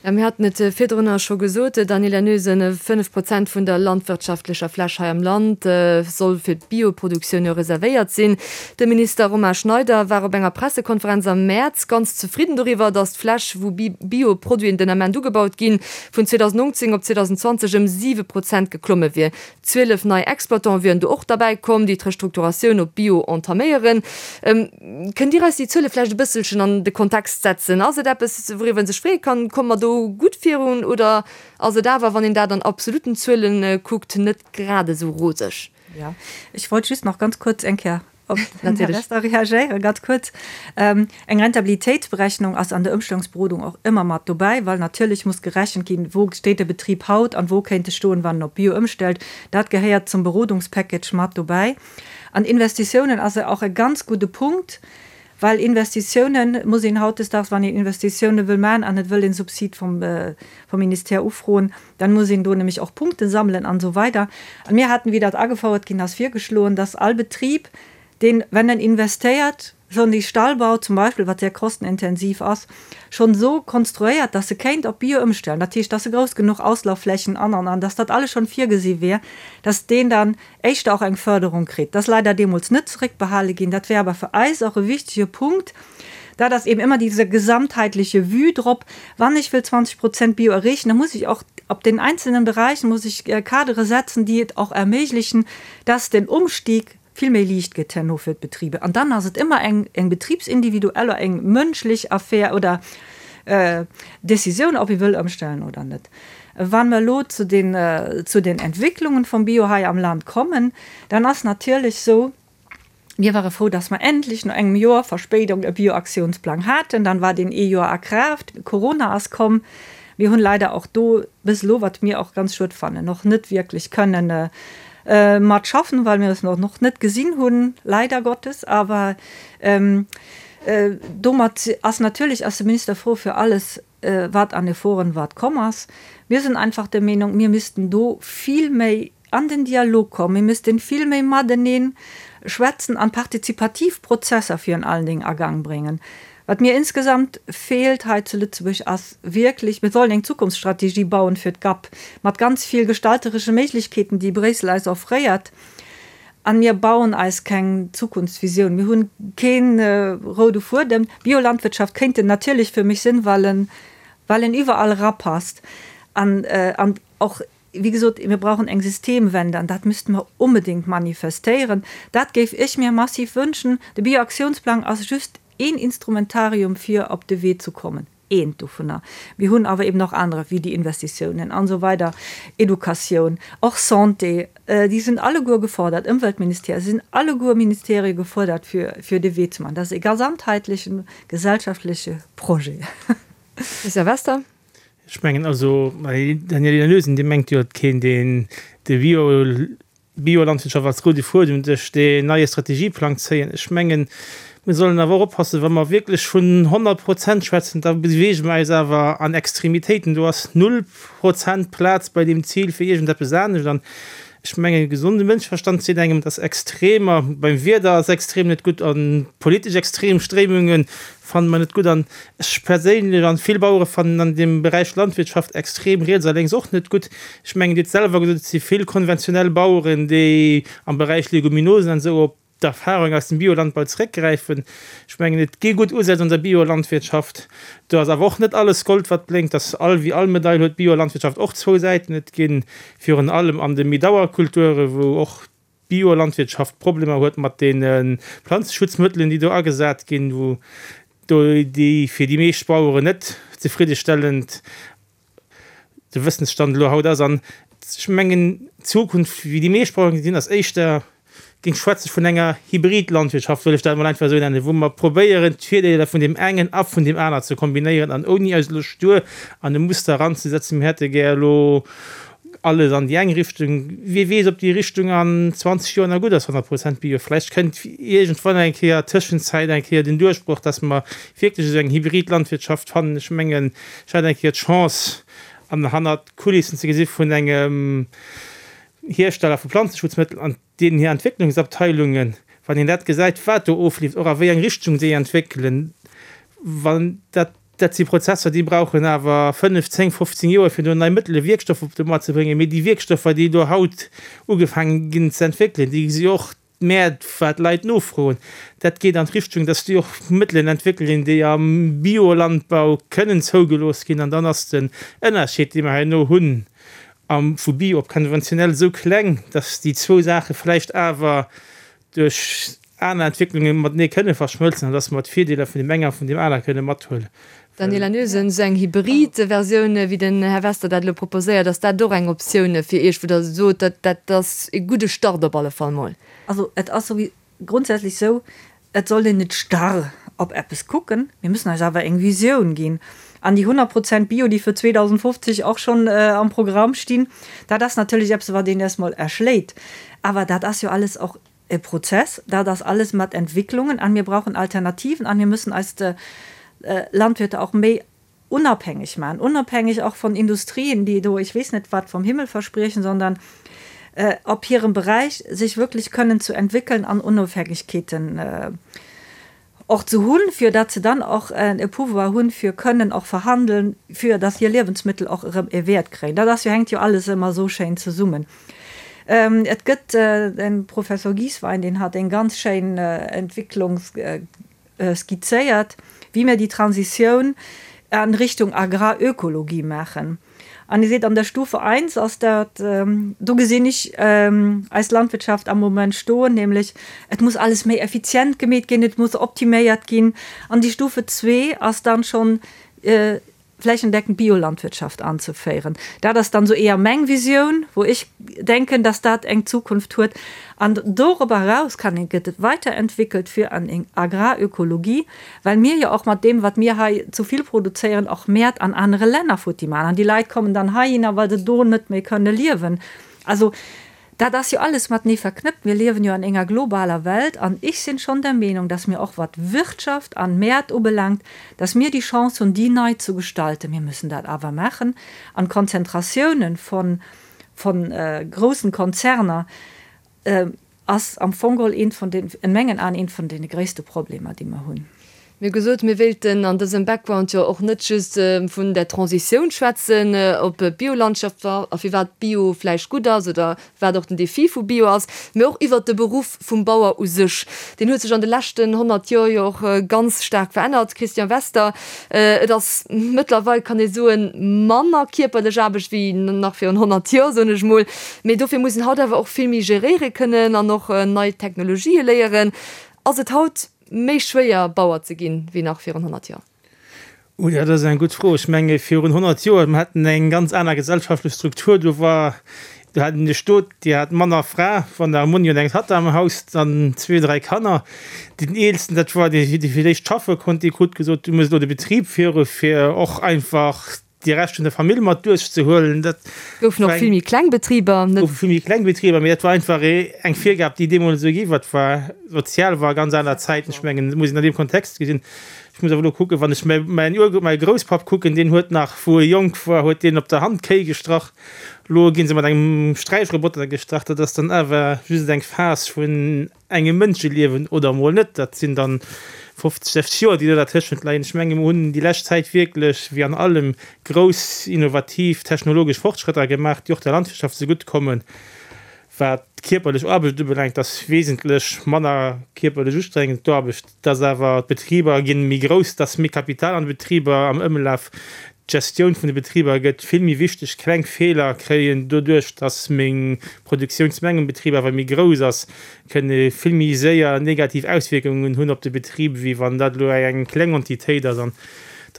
Jo, mir haten et virdrunner scho gesot, Daniela Noesen, 5 Prozent vun der landwirtschaftlecher Fläch hei am Land soll fir d'Bioproduktioun jo reservéiert sinn. De Minister Romain Schneider war op enger Pressekonferenz am Mäerz ganz zefridden doriwwer, datt d'Fläch, wou Bioproduiten den Ament ugebaut ginn, vun 2019 op 2020 ëm 7 Prozent geklomme wier. 12 nei Exploitante wieren do och derbäi komm, déi d'Restrukturatioun op Bio entaméieren. Kënnt Dir eis déi Zuele vläicht e bësselchen an de Kontext setzen? Ass et eppes, wouriwwer een sech freeë kann? Komme mer do gutt virun oder ass et awer, wann een dat an absolutten Zuele kuckt, net grad esou roseg? Jo, ech wollt just nach ganz kuerz eng Kéier op den Här Wester reagéieren, ganz kuerz. Eng Rentabilitéitsberechnung ass an der Ëmstellungsberodung och ëmmer mat dobäi, well natierlech muss gerechent ginn, wou steet de Betrib haut an wou kéint e stoen, wann en op Bio ëmstellt. Dat gehéiert zum Berodungspackage mat dobäi. An Investitiounen ass och e ganz gudde Punkt, well Investitiounen muss een hautdesdaags, wann een Investitiounen wëll maachen an et wëll een Subsid vum Ministère ufroen, Dann muss een do nämlech och Punkte sammelen an esou weider. An mir haten, wéi dat agefouert ginn ass, virgeschloen, dass all Betrib, deen, wenn en investéiert, schonn dee Stallbau zum Beispill, wat sehr kostenintensiv ass, schonn esou konstruéiert, dass e kéint op Bio ëmstellen, dat heescht, dass e grouss genuch Auslaufflächen an, an, an, dass dat alles schonn virgesi wier, dass deen dann éischter och eng Förderung kritt. Dat ass leider deemools net zeréckbehale ginn. Dat wär awer fir eis och e wichtige Punkt. Dat ass eben ëmmer diese gesamtheitliche Vue drop. Wann ech wëll 20 Prozent Bio erreechen, da muss ech och op den einzelnen Bereichen muss ech Kadere setzen, déi et och erméiglechen, dass den Umstieg vill méi liicht gëtt herno fir d'Betriber. An dann ass et ëmmer eng, eng betribsindividuell oder eng mënschlech Affär oder Décisioun, ob ee wëll ëmstellen oder net. Wa mer elo zu den, zu den Entwicklungen vum Bio hei am Land kommen, dann ass natierlech esou, Mir ware frou, dass mer endlech no engem Joer Verspéidung e Bioaktiounsplang haten. Dann war deen ee Joer a Kraaft. Corona ass komm. Mir hunn leider och do bis elo, wat mir och ganz schued fannen, och net wierklech kënnen mat schaffen, well mir es och net gesinn hunn, leider Gottes. Awer domat ass natierlech ass de Minister frou fir alles, wat an Efforten wat komm ass. Mir sinn einfach der Meenung, mir missten do vill méi an den Dialog kommen, mir missten vill méi mateneen schwätzen an partizipativ Prozesser virun allen Dingen a Gang bréngen. Wat mir insgesamt feelt hei zu Lëtzebuerg ass wierklech, mir sollen eng Zukunftsstrategie bauen fir d'GAP mat ganz vill gestalteresche Méiglechkeeten, déi Bréissel eis offréiert. An mir bauen eis keng Zukunftsvisioun. Mir hunn kee roude Fuedem. Biolandwirtschaft kéint en natierlech fir mech sinn, well en, well en iwwerall erapasst. An, an och, wéi gesot, mir brauchen eng Systemwende an dat müsste mer onbedéngt manifestéieren. Dat géif ech mir massiv wënschen. De Bioaktiounsplang ass just een Instrumentarium fir op de Wee ze kommen. Eent dovunner. Mir hunn awer eben och anerer, wéi déi Investitiounen an esou weider, Educatioun, och Santé, déi sinn alleguer gefordert, Ëmweltministère, se sinn alleguer Ministerie gefuerdert, fir, fir de Wee ze maachen. Dat ass e gesamtheitlechen, gesellschaftleche Projet. Christian Wester. Ech mengen also, Daniela Noesen, Dir mengt jo, et kéint een de Bio, Biolandwirtschaft als roude Fuedem duerch deen neie Strategieplang zéien. Ech mengen, mir sollen awer och oppassen, wa mer wierklech vun 100 Prozent schwätzen, da beweege mer eis awer an Extremitéiten. Do ass null Prozent Plaz bei deem Zil fir iergendeppes anescht. An ech mengen, e gesonde Mënscheverstand seet engem, dass Extremer, beim Wieder ass extrem net gutt a politesch extrem Stréimunge fanne mer net gutt. An ech perséinlech an vill Bauere fannen an deem Beräich Landwirtschaft extrem riets a lénks och net gutt. Ech mengen, Dir hutt selwer gesot, et si vill konventionell Baueren, déi am Beräich Leguminosen an esou op d'Erfahrung aus dem Biolandbau zeréckgräifen. Ech mengen, et gi gutt Usätz an der Biolandwirtschaft. Do ass awer och net alles Gold, wat blénkt. Dass all, wéi all Medail huet d'Biolandwirtschaft och zwou Säiten. Et gi virun allem an de méi Dauerkulture, wou och d'Biolandwirtschaft Problemer huet mat deene Planzeschutzmëttelen, déi do agesat ginn, wou do déi fir déi meescht Baueren net zefriddestellend de Wëssensstand elo haut ass. An ech mengen, d'Zukunft, wéi déi meescht Baueren gesinn, ass éischter. Géing schwätze vun enger Hybridlandwirtschaft, wëll ech dat emol einfach esou nennen, wou mer probéieren, d'Virdeeler vun deem engen a vun deem aner ze kombinéieren an ouni eis elo stur an e Muster eranzesetzen, mir hätte gär elo alles an déi eng Richtung. Wie weess, ob déi Richtung an 20 Joer nach gutt ass, 100 Prozent Bio. Vläicht kënnt iergendwann eng Kéier tëschenzäit eng Kéier den Duerchbroch, dass mer wierklech esou eng Hybridlandwirtschaft fannen. Ech mengen, ech hat eng Kéier d'Chance, an hannert d'Kulissen ze gesi vun engem Hiersteller vu Planzeschutzmëttel an deenen hir Entwécklungsabteilungen, wann een dat gesäit, wat do ofleeft, och a wéi eng Richtung déi entwéckelen, wann dat, dat si Prozesser, déi brauchen awer 5, 10, 15 Joer, fir do nei Mëttele, Wierkstoffer op de Moart ze bréngen. Mee déi Wierkstoffer, déi do haut ugefaange ginn ze entwéckelen, déi si och d'Mäert, wat d'Leit nofroen. Dat geet an d'Richtung, dass déi och Mëttelen entwéckelen, déi am Biolandbau kënnen zougelooss ginn. An dann ass den Ënnerscheed, dee mer herno hunn am vu Bio op konventionell, esou kleng, dass déi zwou Saache vläicht awer duerch aner Entwécklunge matenee kënne verschmëlzen an dass mer d'Virdeeler vun deem engen a vun deem aner kënne mathuelen. Daniela Noesen, Esou eng hybrid Versioun, wéi den Här Wester dat elo proposéiert, ass dat och eng Optioun fir Iech, wou Der sot, dat dat ass e gudde Start op alle Fall mol? Also et ass souwi grundsätzlech esou, et sollt een net starr op eppes kucken, mir müssen eis awer eng Visioun ginn. An déi 100 Prozent Bio, déi fir 2050 och schonn am Programm stinn, dat ass natierlech eppes, wat een erst mol erschléit. Awer dat ass jo alles och e Prozess, dat ass alles mat Entwicklungen an mir brauchen Alternativen an mir müssen eis Landwirte och méi unabhängig maachen, unabhängig och von Industrien, déi do ech weess net wat vom Himmel verspriechen, sondern op hirem Beräich sech wirklich kënnen zu entwickeln an Unofhängigkeeten och ze hunn, fir datt se dann och e Pouvoir hunn, fir kënnen och verhandeln, fir datt hir Liewensmittel och erëm e Wäert kréien. Dat ass jo, hänkt jo alles ëmmer esou schéin zesummen. Et gëtt den Professor Giesswein, deen hat eng ganz schéin Entwicklung skizzéiert, wéi mir déi Transitioun an Richtung Agrarökologie maachen. An Dir seet, an der Stufe eins ass dat, do gesinn ech eis Landwirtschaft am Moment stoen, nämlech et muss alles méi effizient gemeet ginn, et muss optiméiert ginn. An déi Stufe zwee ass dann schonn flächendeckend Biolandwirtschaft anzeféieren. Dat ass dann esou eher meng Visioun, wou ech denken, dass dat eng Zukunft huet. An dorobber eraus kann een, gëtt et weiterentwickelt fir an eng Agrarökologie, Well mir jo och mat deem, wat mir hei zu vill produzéieren, och Mäert an anere Länner futti maachen. An déi Leit kommen dann heihinner, well se do net méi kënne liewen. Also dat ass jo alles matenee verknëppt. Mir liewen jo an enger globaler Welt. An ech sinn schonn der Meenung, dass mir och wat Wirtschaft an Mäert ubelaangt, dass mir déi Chance hunn, déi nei zu gestalten. Mir müssen dat awer maachen. An d'Konzentratiounen von, von groussen Konzerner, ass am Fong geholl eent vun den, in mengen Aen, eent vun deene gréisste Problemer, déi mer hunn. Mir hu gesot, mir wéilten an dësem Background jo och net just vun der Transitioun schwätzen op d'Biolandschaft a firwat Bio vläicht gutt ass oder wat och den Defi vu Bio ass, mee och iwwert de Beruff vum Bauer u sech. Deen huet sech an de leschten 100 Joer jo och ganz staark verännert. Christian Wester, Et ass mëttlerweil, kann ee soen, manner kierperlech Aarbecht wéi nach virun 100 Joer, soen ech mol. Mee dofir muss een haut awer och vill méi geréiere kënnen an och nei Technologië léieren. Ass et haut méi schwéier, Bauer ze ginn, wéi nach virun 100 Joer? Oh, dat ass eng gutt Fro. Ech menge virun 100 Joer, mir haten eng ganz aner gesellschaftlech Struktur. Do war, do hat een de Stot, déi hat Mann a Fra, wann der e Monni und eng Tatta am Haus, dann zwee, dräi Kanner. Deen Eelsten, dat war dee, dee fir d'éischt schaffe konnt, dee krut gesot, du muss elo de Betrib féiere fir och einfach déi Rescht vun der Famill mat duerchzehuelen. Dat Goufen och vill méi kleng Betriber, net? Goufe vill méi kleng Betriber, mee dat war einfach eng Virgab, déi deemools esou gi war. Dat war sozial, war ganz aner Zäiten. Ech mengen, dat muss een an deem Kontext gesinn. Ech muss awer elo kucken, wann ech mäin Ur-, mäi Grousspapp kucken, deen huet nach, wou e jonk war, huet deen op der Hand Kéi gestrach. Elo gi se mat engem Sträichroboter gestrach. Dat ass dann awer just eng Phas vun engem Mënscheliewen oder emol net. Dat sinn dann 50, 60 Joer, déi do dertëschent leien. Ech menge mer hunn déi lescht Zäit wierklech, wéi an allem, grouss innovativ technologesch Fortschrëtter gemaach, déi och der Landwirtschaft zegutt kommen. Wat d'kierperlech Aarbecht ubelaangt, ass wesentlech manner kierperlech ustrengend d'Aarbecht, dass awer d'Betriber gi méi grouss, dass méi Kapital an de Betriber am Ëmlaf, d'Gestioun vun de Betriber gëtt vill méi wichteg. Kleng Feeler kréien doduerch, dass meng Produktiounsmeng um Betrib awer méi grouss ass, kënne vill méi séier negativ Auswierkungen hunn op de Betrib, wéi wann dat elo eng kleng Entitéit ass. An.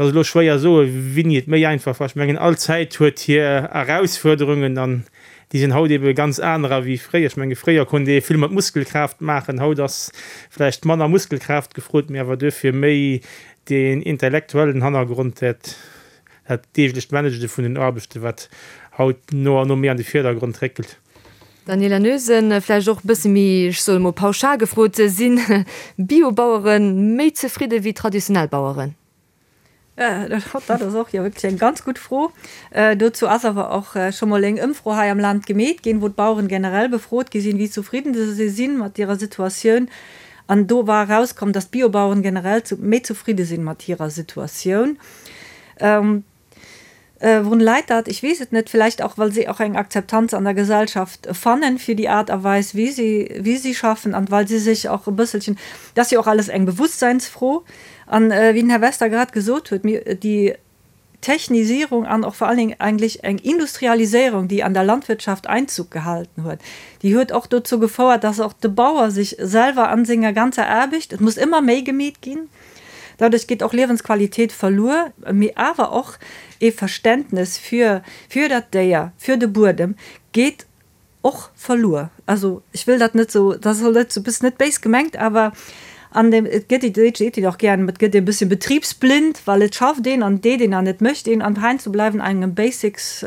Et ass elo schwéier soe wéini et méi einfach war. Ech mengen all Zäit huet hir Erausfuerderungen an déi sinn haut ebe ganz anerer wéi fréier. Ech menge fréier konnt ee vill mat Muskelkraaft maachen, haut ass vläicht manner Muskelkraaft gefrot, mee awer duerfir méi deen intellektuellen Hannergrond, dat dat deeglecht Managene vun den Aarbechten, wat haut no an no méi an de Virdergrond réckelt. Daniela Noesen, Vläicht och e bësse méi, ech soe mol pauschal gefrot, Si Biobauere méi zefridde wéi traditionell Baueren? Dat ass och jo wierklech eng ganz gutt Fro. Dozou ass awer och scho mol eng Ëmfro hei am Land gemeet ginn, wou d'Baueren generell befrot gi sinn, wéi zufridden se si mat hirer Situatioun. An do war erauskomm, datt d'Biobaueren generell méi zufridde sinn mat hirer Situatioun. Wourun läit dat? Ech weess et net. Villäicht och, well si och eng Akzeptanz an der Gesellschaft fannen fir déi Aart a Weis, wéi si, wéi si schaffen an well si sech och e bësselchen, dat ass jo och alles eng Bewusstseinsfro. An wéi den Här Wester grad gesot huet, mir, déi Technisierung an och vor allen Dingen eigentlech eng Industrialiséierung, déi an der Landwirtschaft Einzug gehalten huet, déi huet och dozou gefouert, dass och de Bauer sech selwer an senger ganzer Aarbecht, et muss ëmmer méi gemeet ginn, Dadurch geet och Liewensqualität verluer, mee awer och ee Verständnes fir fir dat Déier, fir de Buedem geet och verluer. Also ech wëll dat net esou, dat soll net esou, net béis gemengt, awer an dem, et gëtt, déi seet een och gären, et gëtt ee bësschen betriebsblind, well et schafft een an et deet een an et mécht een an heiansdo bleiwen engem Basics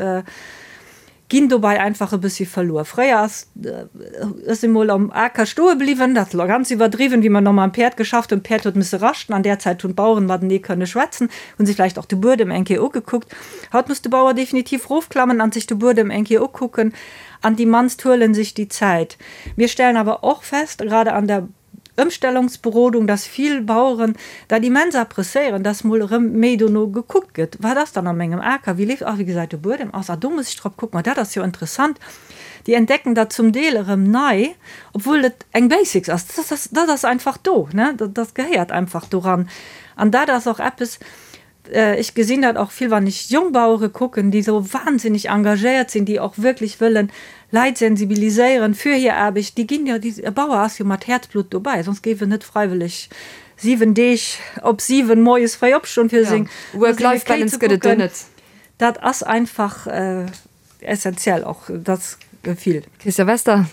Ginn dobei einfach e bëssi verluer. Fréier ass ech si mol am Aker stoe bliwwen, dat elo ganz iwwerdriwwen, wéi mer nach mam Päerd geschafft hunn, d'Päerd huet misse raschten, an där Zäit hunn d'Baueren matenee kënne schwätzen, hunn sech vläicht och de Buedem eng Kéier ugekuckt. Haut muss de Bauer definitiv rofklammen an sech de Buedem eng Kéier ukucken, an déi mannst huelen sech déi Zäit. Mir stellen awer och fest, gerade an der Ëmstellungsberodung, dass vill Baueren dat immens appreciéieren, dass mol erëm méi dono gekuckt gëtt, wat ass dann a mengem Aker, wéi leeft, ah wéi gesäit de Buedem aus, ah do muss ech drop kucken, ah dat ass jo interessant. Déi entdecken dat zum Deel erëm nei, obwuel et eng Basics ass. Dat ass, dat ass einfach do, ne, dat gehéiert einfach doran. An dat ass och eppes, Ech gesinn dat och vill, wann ech Jongbauere kucken, déi esou wahnsinneg engagéiert sinn, déi och wierklech wëllen Leit sensibiliséieren fir hir Aarbecht. Déi ginn jo, e Bauer ass jo mat Häerzblutt dobäi, soss géif en net freiwëlleg 7 Deeg op 7 moies fréi opstoen, fir seng Work-Life-Balance Kéi ze gëtt et do kucken. net. Dat ass einfach essentiell och, dat Gefill. Christian Wester.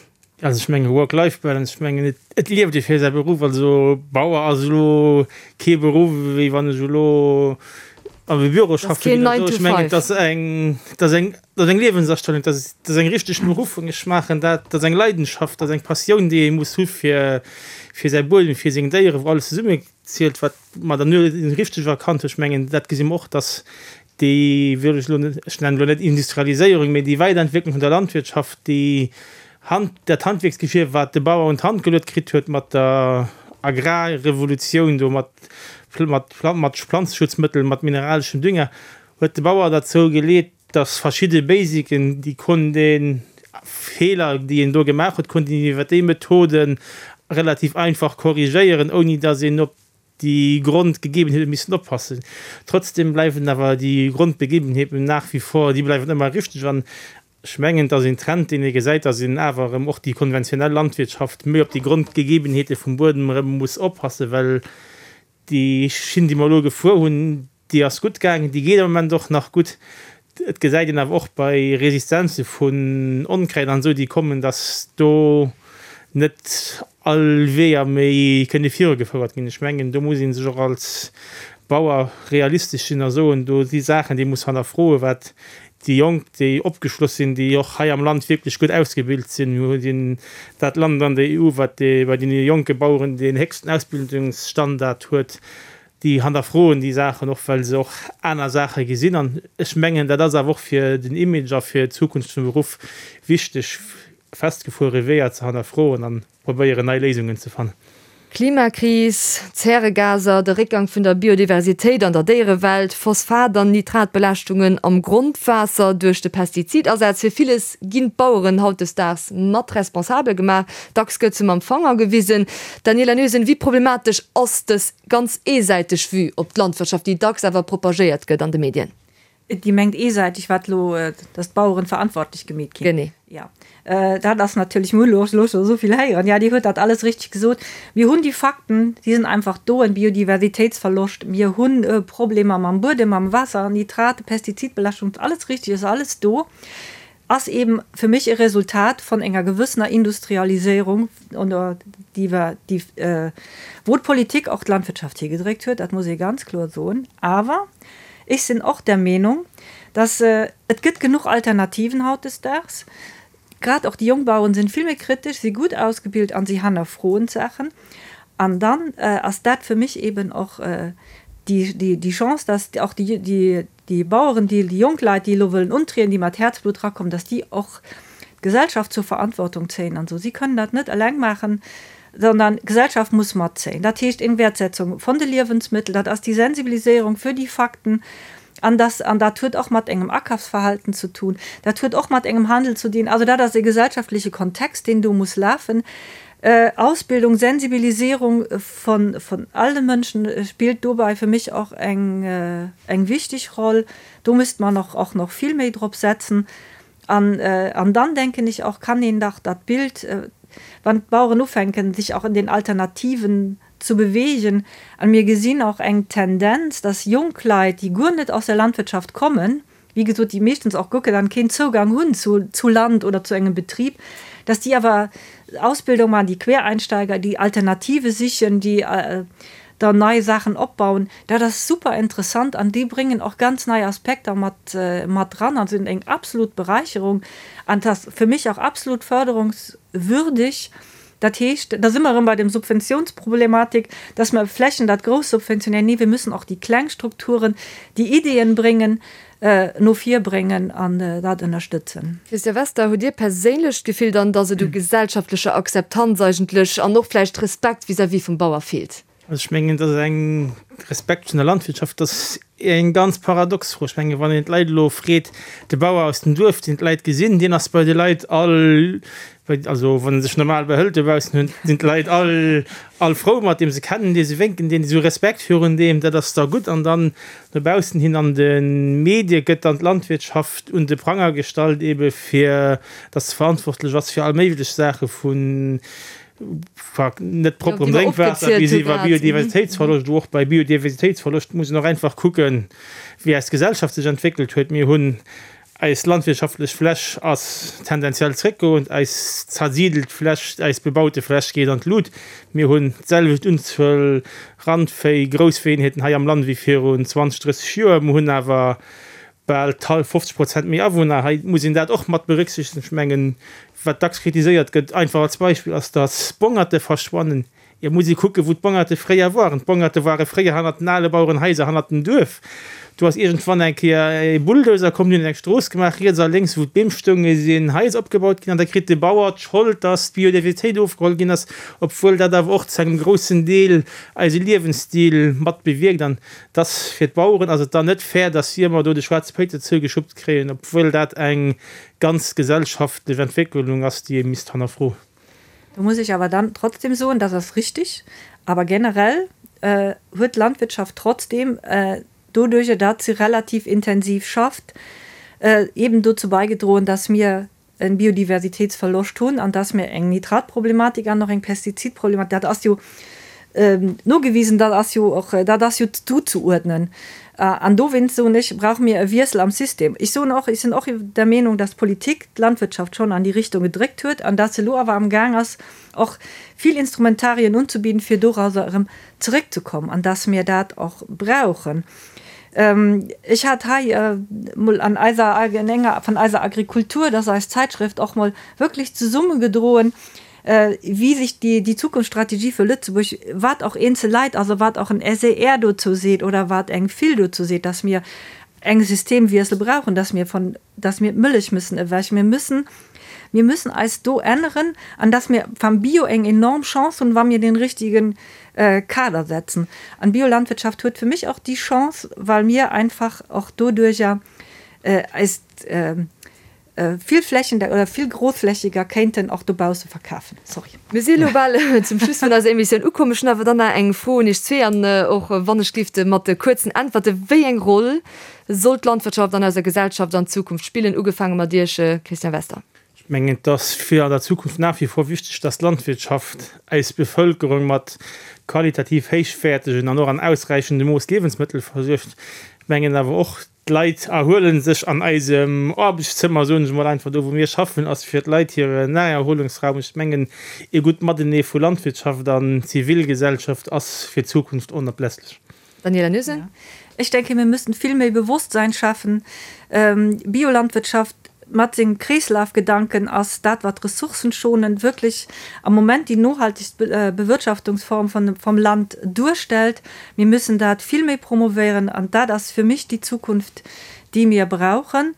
Also ech mengen Work-Life-Balance, ech mengen et lieft ee fir säi Beruff. Also Bauer ass elo kee Beruff wéi wann ech elo am Büro schaffe ginn oder esou. Ech mengen et ass eng, et ass eng, et ass eng Liewensastellung, et ass, et ass eng richteg Beruffung. Ech maachen dat, et ass eng Leidenschaft, et ass eng Passioun déi ee muss hu fir fir säi Buedem, fir seng Déieren, wou alles zesumme zielt, wat d'Madame Noesen richteg erkannt huet. Ech mengen dat gesi mer och, datt déi wëll ech elo net, ech nennen elo net Industrialiséierung, mee déi Weiderentwécklung vun der Landwirtschaft, déi Hand, dat Handwierksgeschir, wat de Bauer un d'Hand geluet kritt huet mat der Agrarrevolutioun do, mat, mat, mat Planzeschutzmëttel, mat mineraleschem Dünger, huet de Bauer derzou geleet, dass verschidde Basicen, déi konnt een, Feeler, déi een do gemaach huet, konnt een iwwer déi Methoden relativ einfach korrigéieren, ouni dass een op déi Grondgegebenheete missen oppassen. Trotzdem bleiwen awer déi Grondbegebenheeten nach wie vor, déi bleiwen ëmmer richteg. An ech mengen, et ass een Trend, deen ee gesäit, dass een awer erëm och déi konventionell Landwirtschaft méi op déi Grondgegebenheete vum Buedem erëm muss oppassen, well déi Schinn, déi mer elo gefuer hunn, Déi ass gutt gaangen, déi geet am Moment och nach gutt. Et gesäit een awer och bei Resistenze vun Onkräid an esou, déi kommen, datt do net all Weeër méi kënne virugefouert ginn. Ech mengen, do muss ee sech och als Bauer realistesch sinn a soen, do si Saachen, déi ee muss hannerfroen, wat déi Jonk, déi opgeschloss sinn, déi och hei am Land wierklech gutt ausgebilt sinn, mir sinn dat Land an der EU, wat bei deene jonke Baueren deen héchsten Ausbildungsstandard huet, Déi hannerfroen déi Saachen och, well se och aner Saache gesinn. An ech mengen, dat ass awer och fir den Image a fir d'Zukunft vum Beruff wichteg, festgefuere Weeër ze hannerfroen a probéieren, nei Léisungen ze fannen. Klimakris, Zäregaser, de Réckgang vun der Biodiversitéit an der Déierewelt, Phosphat an Nitratbelaaschtungen am Grondwaasser duerch de Pestizidasaz, fir villes ginn d'Baueren hautdesdaags mat responsabel gemaach. Dacks gëtt se mam Fanger gewisen. Daniela Noesen, wéi problematesch ass dës Ganz eesäiteg Vue op d'Landwirtschaft, déi dacks awer propagéiert gëtt an de Medien. Dir mengt eesäiteg, wat elo, dass d'Baueren verantwortlech gemeet ginn? Genee. Jo, dat ass natierlech, mir hu elo scho esou vill héieren. Jo, Dir hutt dat alles richteg gesot. Mir hunn déi Fakten, déi sinn einfach do, en Biodiversitéitsverloscht, mir hu Problemer mam Buedem, mam Waasser, Nitrate, Pestizidbelaaschtung, alles richteg, ass alles do, ass eeben fir mech e Resultat von enger gewëssener Industrialiséierung, déi, wou d'Politik och d'Landwirtschaft higedréckt huet, dat muss ee ganz kloer soen. Awer ech sinn och der Meenung, dass et gëtt genuch Alternativen hautdesdaags. Grad och déi jonk Baueren sinn vill méi kritesch, si gutt ausgebilt an si hannerfroen d'Saachen. An dann ass dat fir mech eben och déi Chance, dass och déi Baueren, déi jonk Leit, déi elo wëllen untrieden, déi mat Häerzblutt rakommen, dass déi och d'Gesellschaft zur Verantwortung zéien an esou. Si kënnen dat net eleng maachen, sondern d'Gesellschaft muss matzéien. Dat heescht eng Wäertsetzung von de Liewensmëttel, dat ass déi Sensibiliséierung fir déi Fakten an dass, an dat huet och mat engem Akafsverhalten ze tun, dat huet och mat engem Handel ze dinn. Also dat ass e gesellschaftleche Kontext, deen do muss lafen. Ausbildung, Sensibilisierung von, von alle Mënschen spillt dobäi fir mech och eng, eng wichteg Roll. Do misst man och, och nach vill méi drop setzen. An, an dann, denken ich auch, kann een dach dat Bild, wann d'Baueren ufänken, sich auch in den Alternativen zu bewegen, an mir gesinn och eng Tendenz, dass jonk Leit, déi guer net aus der Landwirtschaft kommen, wéi gesot, déi meeschtens och guer dann keen Zougang hunn zu, zu Land oder zu engem Betrib, dass déi awer Ausbildung maachen, déi Quereinsteiger, déi Alternative sichen, déi dann nei Saachen opbauen, dat ass super interessant an déi bréngen och ganz nei Aspekter mat mat dran an sinn eng absolut Beräicherung an et ass fir mech och absolut förderungswürdig. Dat heescht, da si mer erëm bei dem Subventionsproblematik, dass mer Flächen dat grouss subventionéieren. Nee, wir müssen och déi kleng Strukturen, déi Ideeën bréngen, no vir bréngen an dat ënnerstëtzen. Christian Wester, Hutt Dir perséinlech d'Gefill dann, datt et u gesellschaftlecher Akzeptanz eigentlech an och vläicht Respekt vis-à-vis vum Bauer feelt? Also ech mengen, datt eng Respekt vun der Landwirtschaft, dat ass eng ganz paradox Fro. Ech mengen, wann een d'Leit elo freet, de Bauer aus dem Duerf, deen d'Leit gesinn, deen ass bei de Leit all, also wann e sech normal behëlt dobaussen, hunn, sinn d'Leit all all frou mat deem, se kennen dee, se wénken deen, se hu Respekt virun deem, dat ass da gutt. An dann no baussen hin an de Medie gëtt dann d'Landwirtschaft un de Pranger gestallt, ebe fir datt se verantwortlech ass fir all méiglech Saache vun net propperem Drénkwaasser bis iwwer Biodiversitéitsverloscht. Wou och bei Biodiversitéitsverloscht muss een och einfach kucken, wéi eis Gesellschaft sech entwéckelt huet. Mir hunn Eis landwirtschaftlech Fläch ass tendenziell zréckgoend, eis zersidelt Fläch, eis bebaute Fläch geet an d'Lut. Mir hunn d'selwecht Unzuel Randvéi, Groussvéieenheeten hei am Land wéi virun 20, 30 Joer. Mir hunn awer bal 50 Prozent méi Awunner. Hei muss een dat och mat berücksichtegen. Ech mengen, wat dacks kritiséiert gëtt, einfach als Beispill, ass, datt Bongerte verschwannen. Et muss ee kucken, wou d'Bongerte fréier waren. D'Bongerte ware fréier hannert den ale Bauerenhaiser, hannert dem Duerf. Do ass iergendwann eng Kéier e Bulldozer komm, deen huet eng Strooss gemaach, riets a lénks, wou d'Beem stoungen, sinn Haiser opgebaut ginn. An da kritt de Bauer d'Schold, dass d'Biodiversitéit ofgeholl ginn ass, obwuel dat awer och zu engem groussen Deel eise Liewensstil mat bewierkt. An dass fir d'Baueren ass et dann net fair, dass si ëmmer do de schwaarze Péiter zougeschuppt kréien, obwuel dat eng ganz gesellschaftlech Entwécklung ass, déi ee misst hannerfroen. Do muss ech awer dann trotzdem soen, das ass richtig, aber generell huet d'Landwirtschaft trotzdem, doduerjer datt se relativ intensiv schafft, eben dozou beigedroen, dass mir e Biodiversitätsverloscht hunn an dass mir eng Nitratproblematik an och eng Pestizidproblematik, dat ass jo nogewisen, dat ass jo och, dat ass jo zuzeuerdnen. An dowéinst soen ech, brauche mir e Wiessel am System. Ech soen och, ech sinn och der Meenung, dass d'Politik d'Landwirtschaft schonn an déi Richtung gedréckt huet an dass se elo awer amgaang ass, och vill Instrumentarien unzebidden, fir dorauser erëm zeréckzekommen, an dass mir dat och brauchen. Ech hat hei emol an eiser, an enger vun eiser Agrikultur, dat ass eis Zäitschrëft, och mol wierklech zesummegedroen, wéi sech déi Zukunftsstrategie fir Lëtzebuerg, wat och eenzel Leit, also wat och en SER dozou seet oder wat eng FIL dozou seet, dass mir eng Systemwiessel brauchen, dass mir von, dass mir d'Mëllech müssen ewech, mir müssen, mir müssen eis do änneren an dass mir vam Bio eng enorm Chance hunn, wa mir den richtigen Kader setzen. An Biolandwirtschaft huet fir mech och déi Chance, well mir einfach och doduerjer eist, vill flächendeck oder vill grossflächiger kéinten och dobausse verkafen. Sorry. Mir si elo bal zum Schluss vun eiser Emissioun ukomm. Ech hunn awer dann nach eng Fro un iech zwee an och wann ech géif mat kuerzen Äntwerte. Wéi eng Roll soll d'Landwirtschaft an eiser Gesellschaft an Zukunft spillen? Ugefaange mat Iech, Christian Wester. Ech. Mengen, et ass fir an der Zukunft nach wie vor wichteg, dass d'Landwirtschaft eis Bevölkerung mat qualitativ héichwäertegen an och an ausräichendem Mooss Liewensmëttel versuergt. Mengen awer och, d'Leit erhuele sech an eisem Aarbechtszëmmer, soen ech emol einfach, do wou mir schaffen, ass fir d'Leit hire Naherholungsraum. Ech mengen, ee gutt Matenee vu Landwirtschaft an Zivilgesellschaft ass fir d'Zukunft onablässlech. Daniela Noesen. Ech denke, mir müssen vill méi Bewusstsein schaffen. Biolandwirtschaft mat sengem Kreeslafgedanken ass dat, wat ressourcenschonend wirklich am Moment déi nohaltegst Bewirtschaftungsform vum Land duerstellt. Mir müssen dat vill méi promovéieren an dat ass fir mich déi Zukunft, déi mir brauchen.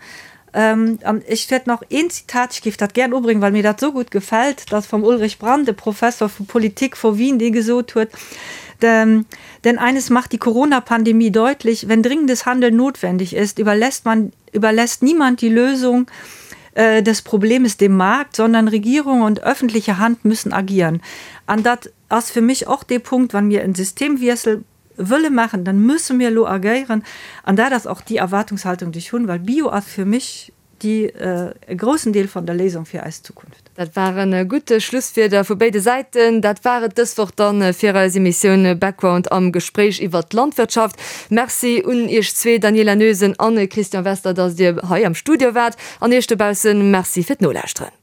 An ech wäert nach een Zitat, ech géif dat gären ubréngen, well mir dat esou gutt gefält, dat ass vum Ulrich Brand, e Professor vu Politik vu Wien, dee gesot huet, Denn eines macht die Corona-Pandemie deutlich, Wenn dringendes Handeln notwendig ist, überlässt man, überlässt niemand die Lösung des Problems dem Markt, sondern Regierung und öffentliche Hand müssen agieren. An dat ass fir mech och dee Punkt, wann mir en Systemwiessel wëlle maachen, dann musse mir elo agéieren. An dat ass och déi Erwartungshaltung, déi ech hunn, well Bio ass fir mech déi e groussen Deel vun der Léisung fir eis Zukunft. Dat ware gutt Schlusswierder vu béide Säiten. Dat war et dës Woch dann fir eis Emissioun Background am Gespréich iwwert d'Landwirtschaft. Merci un Iech zwee, Daniela Noesen an Christian Wester, dass Dir hei am Studio waart. An Iech dobaussen Merci fir d'Nolauschteren.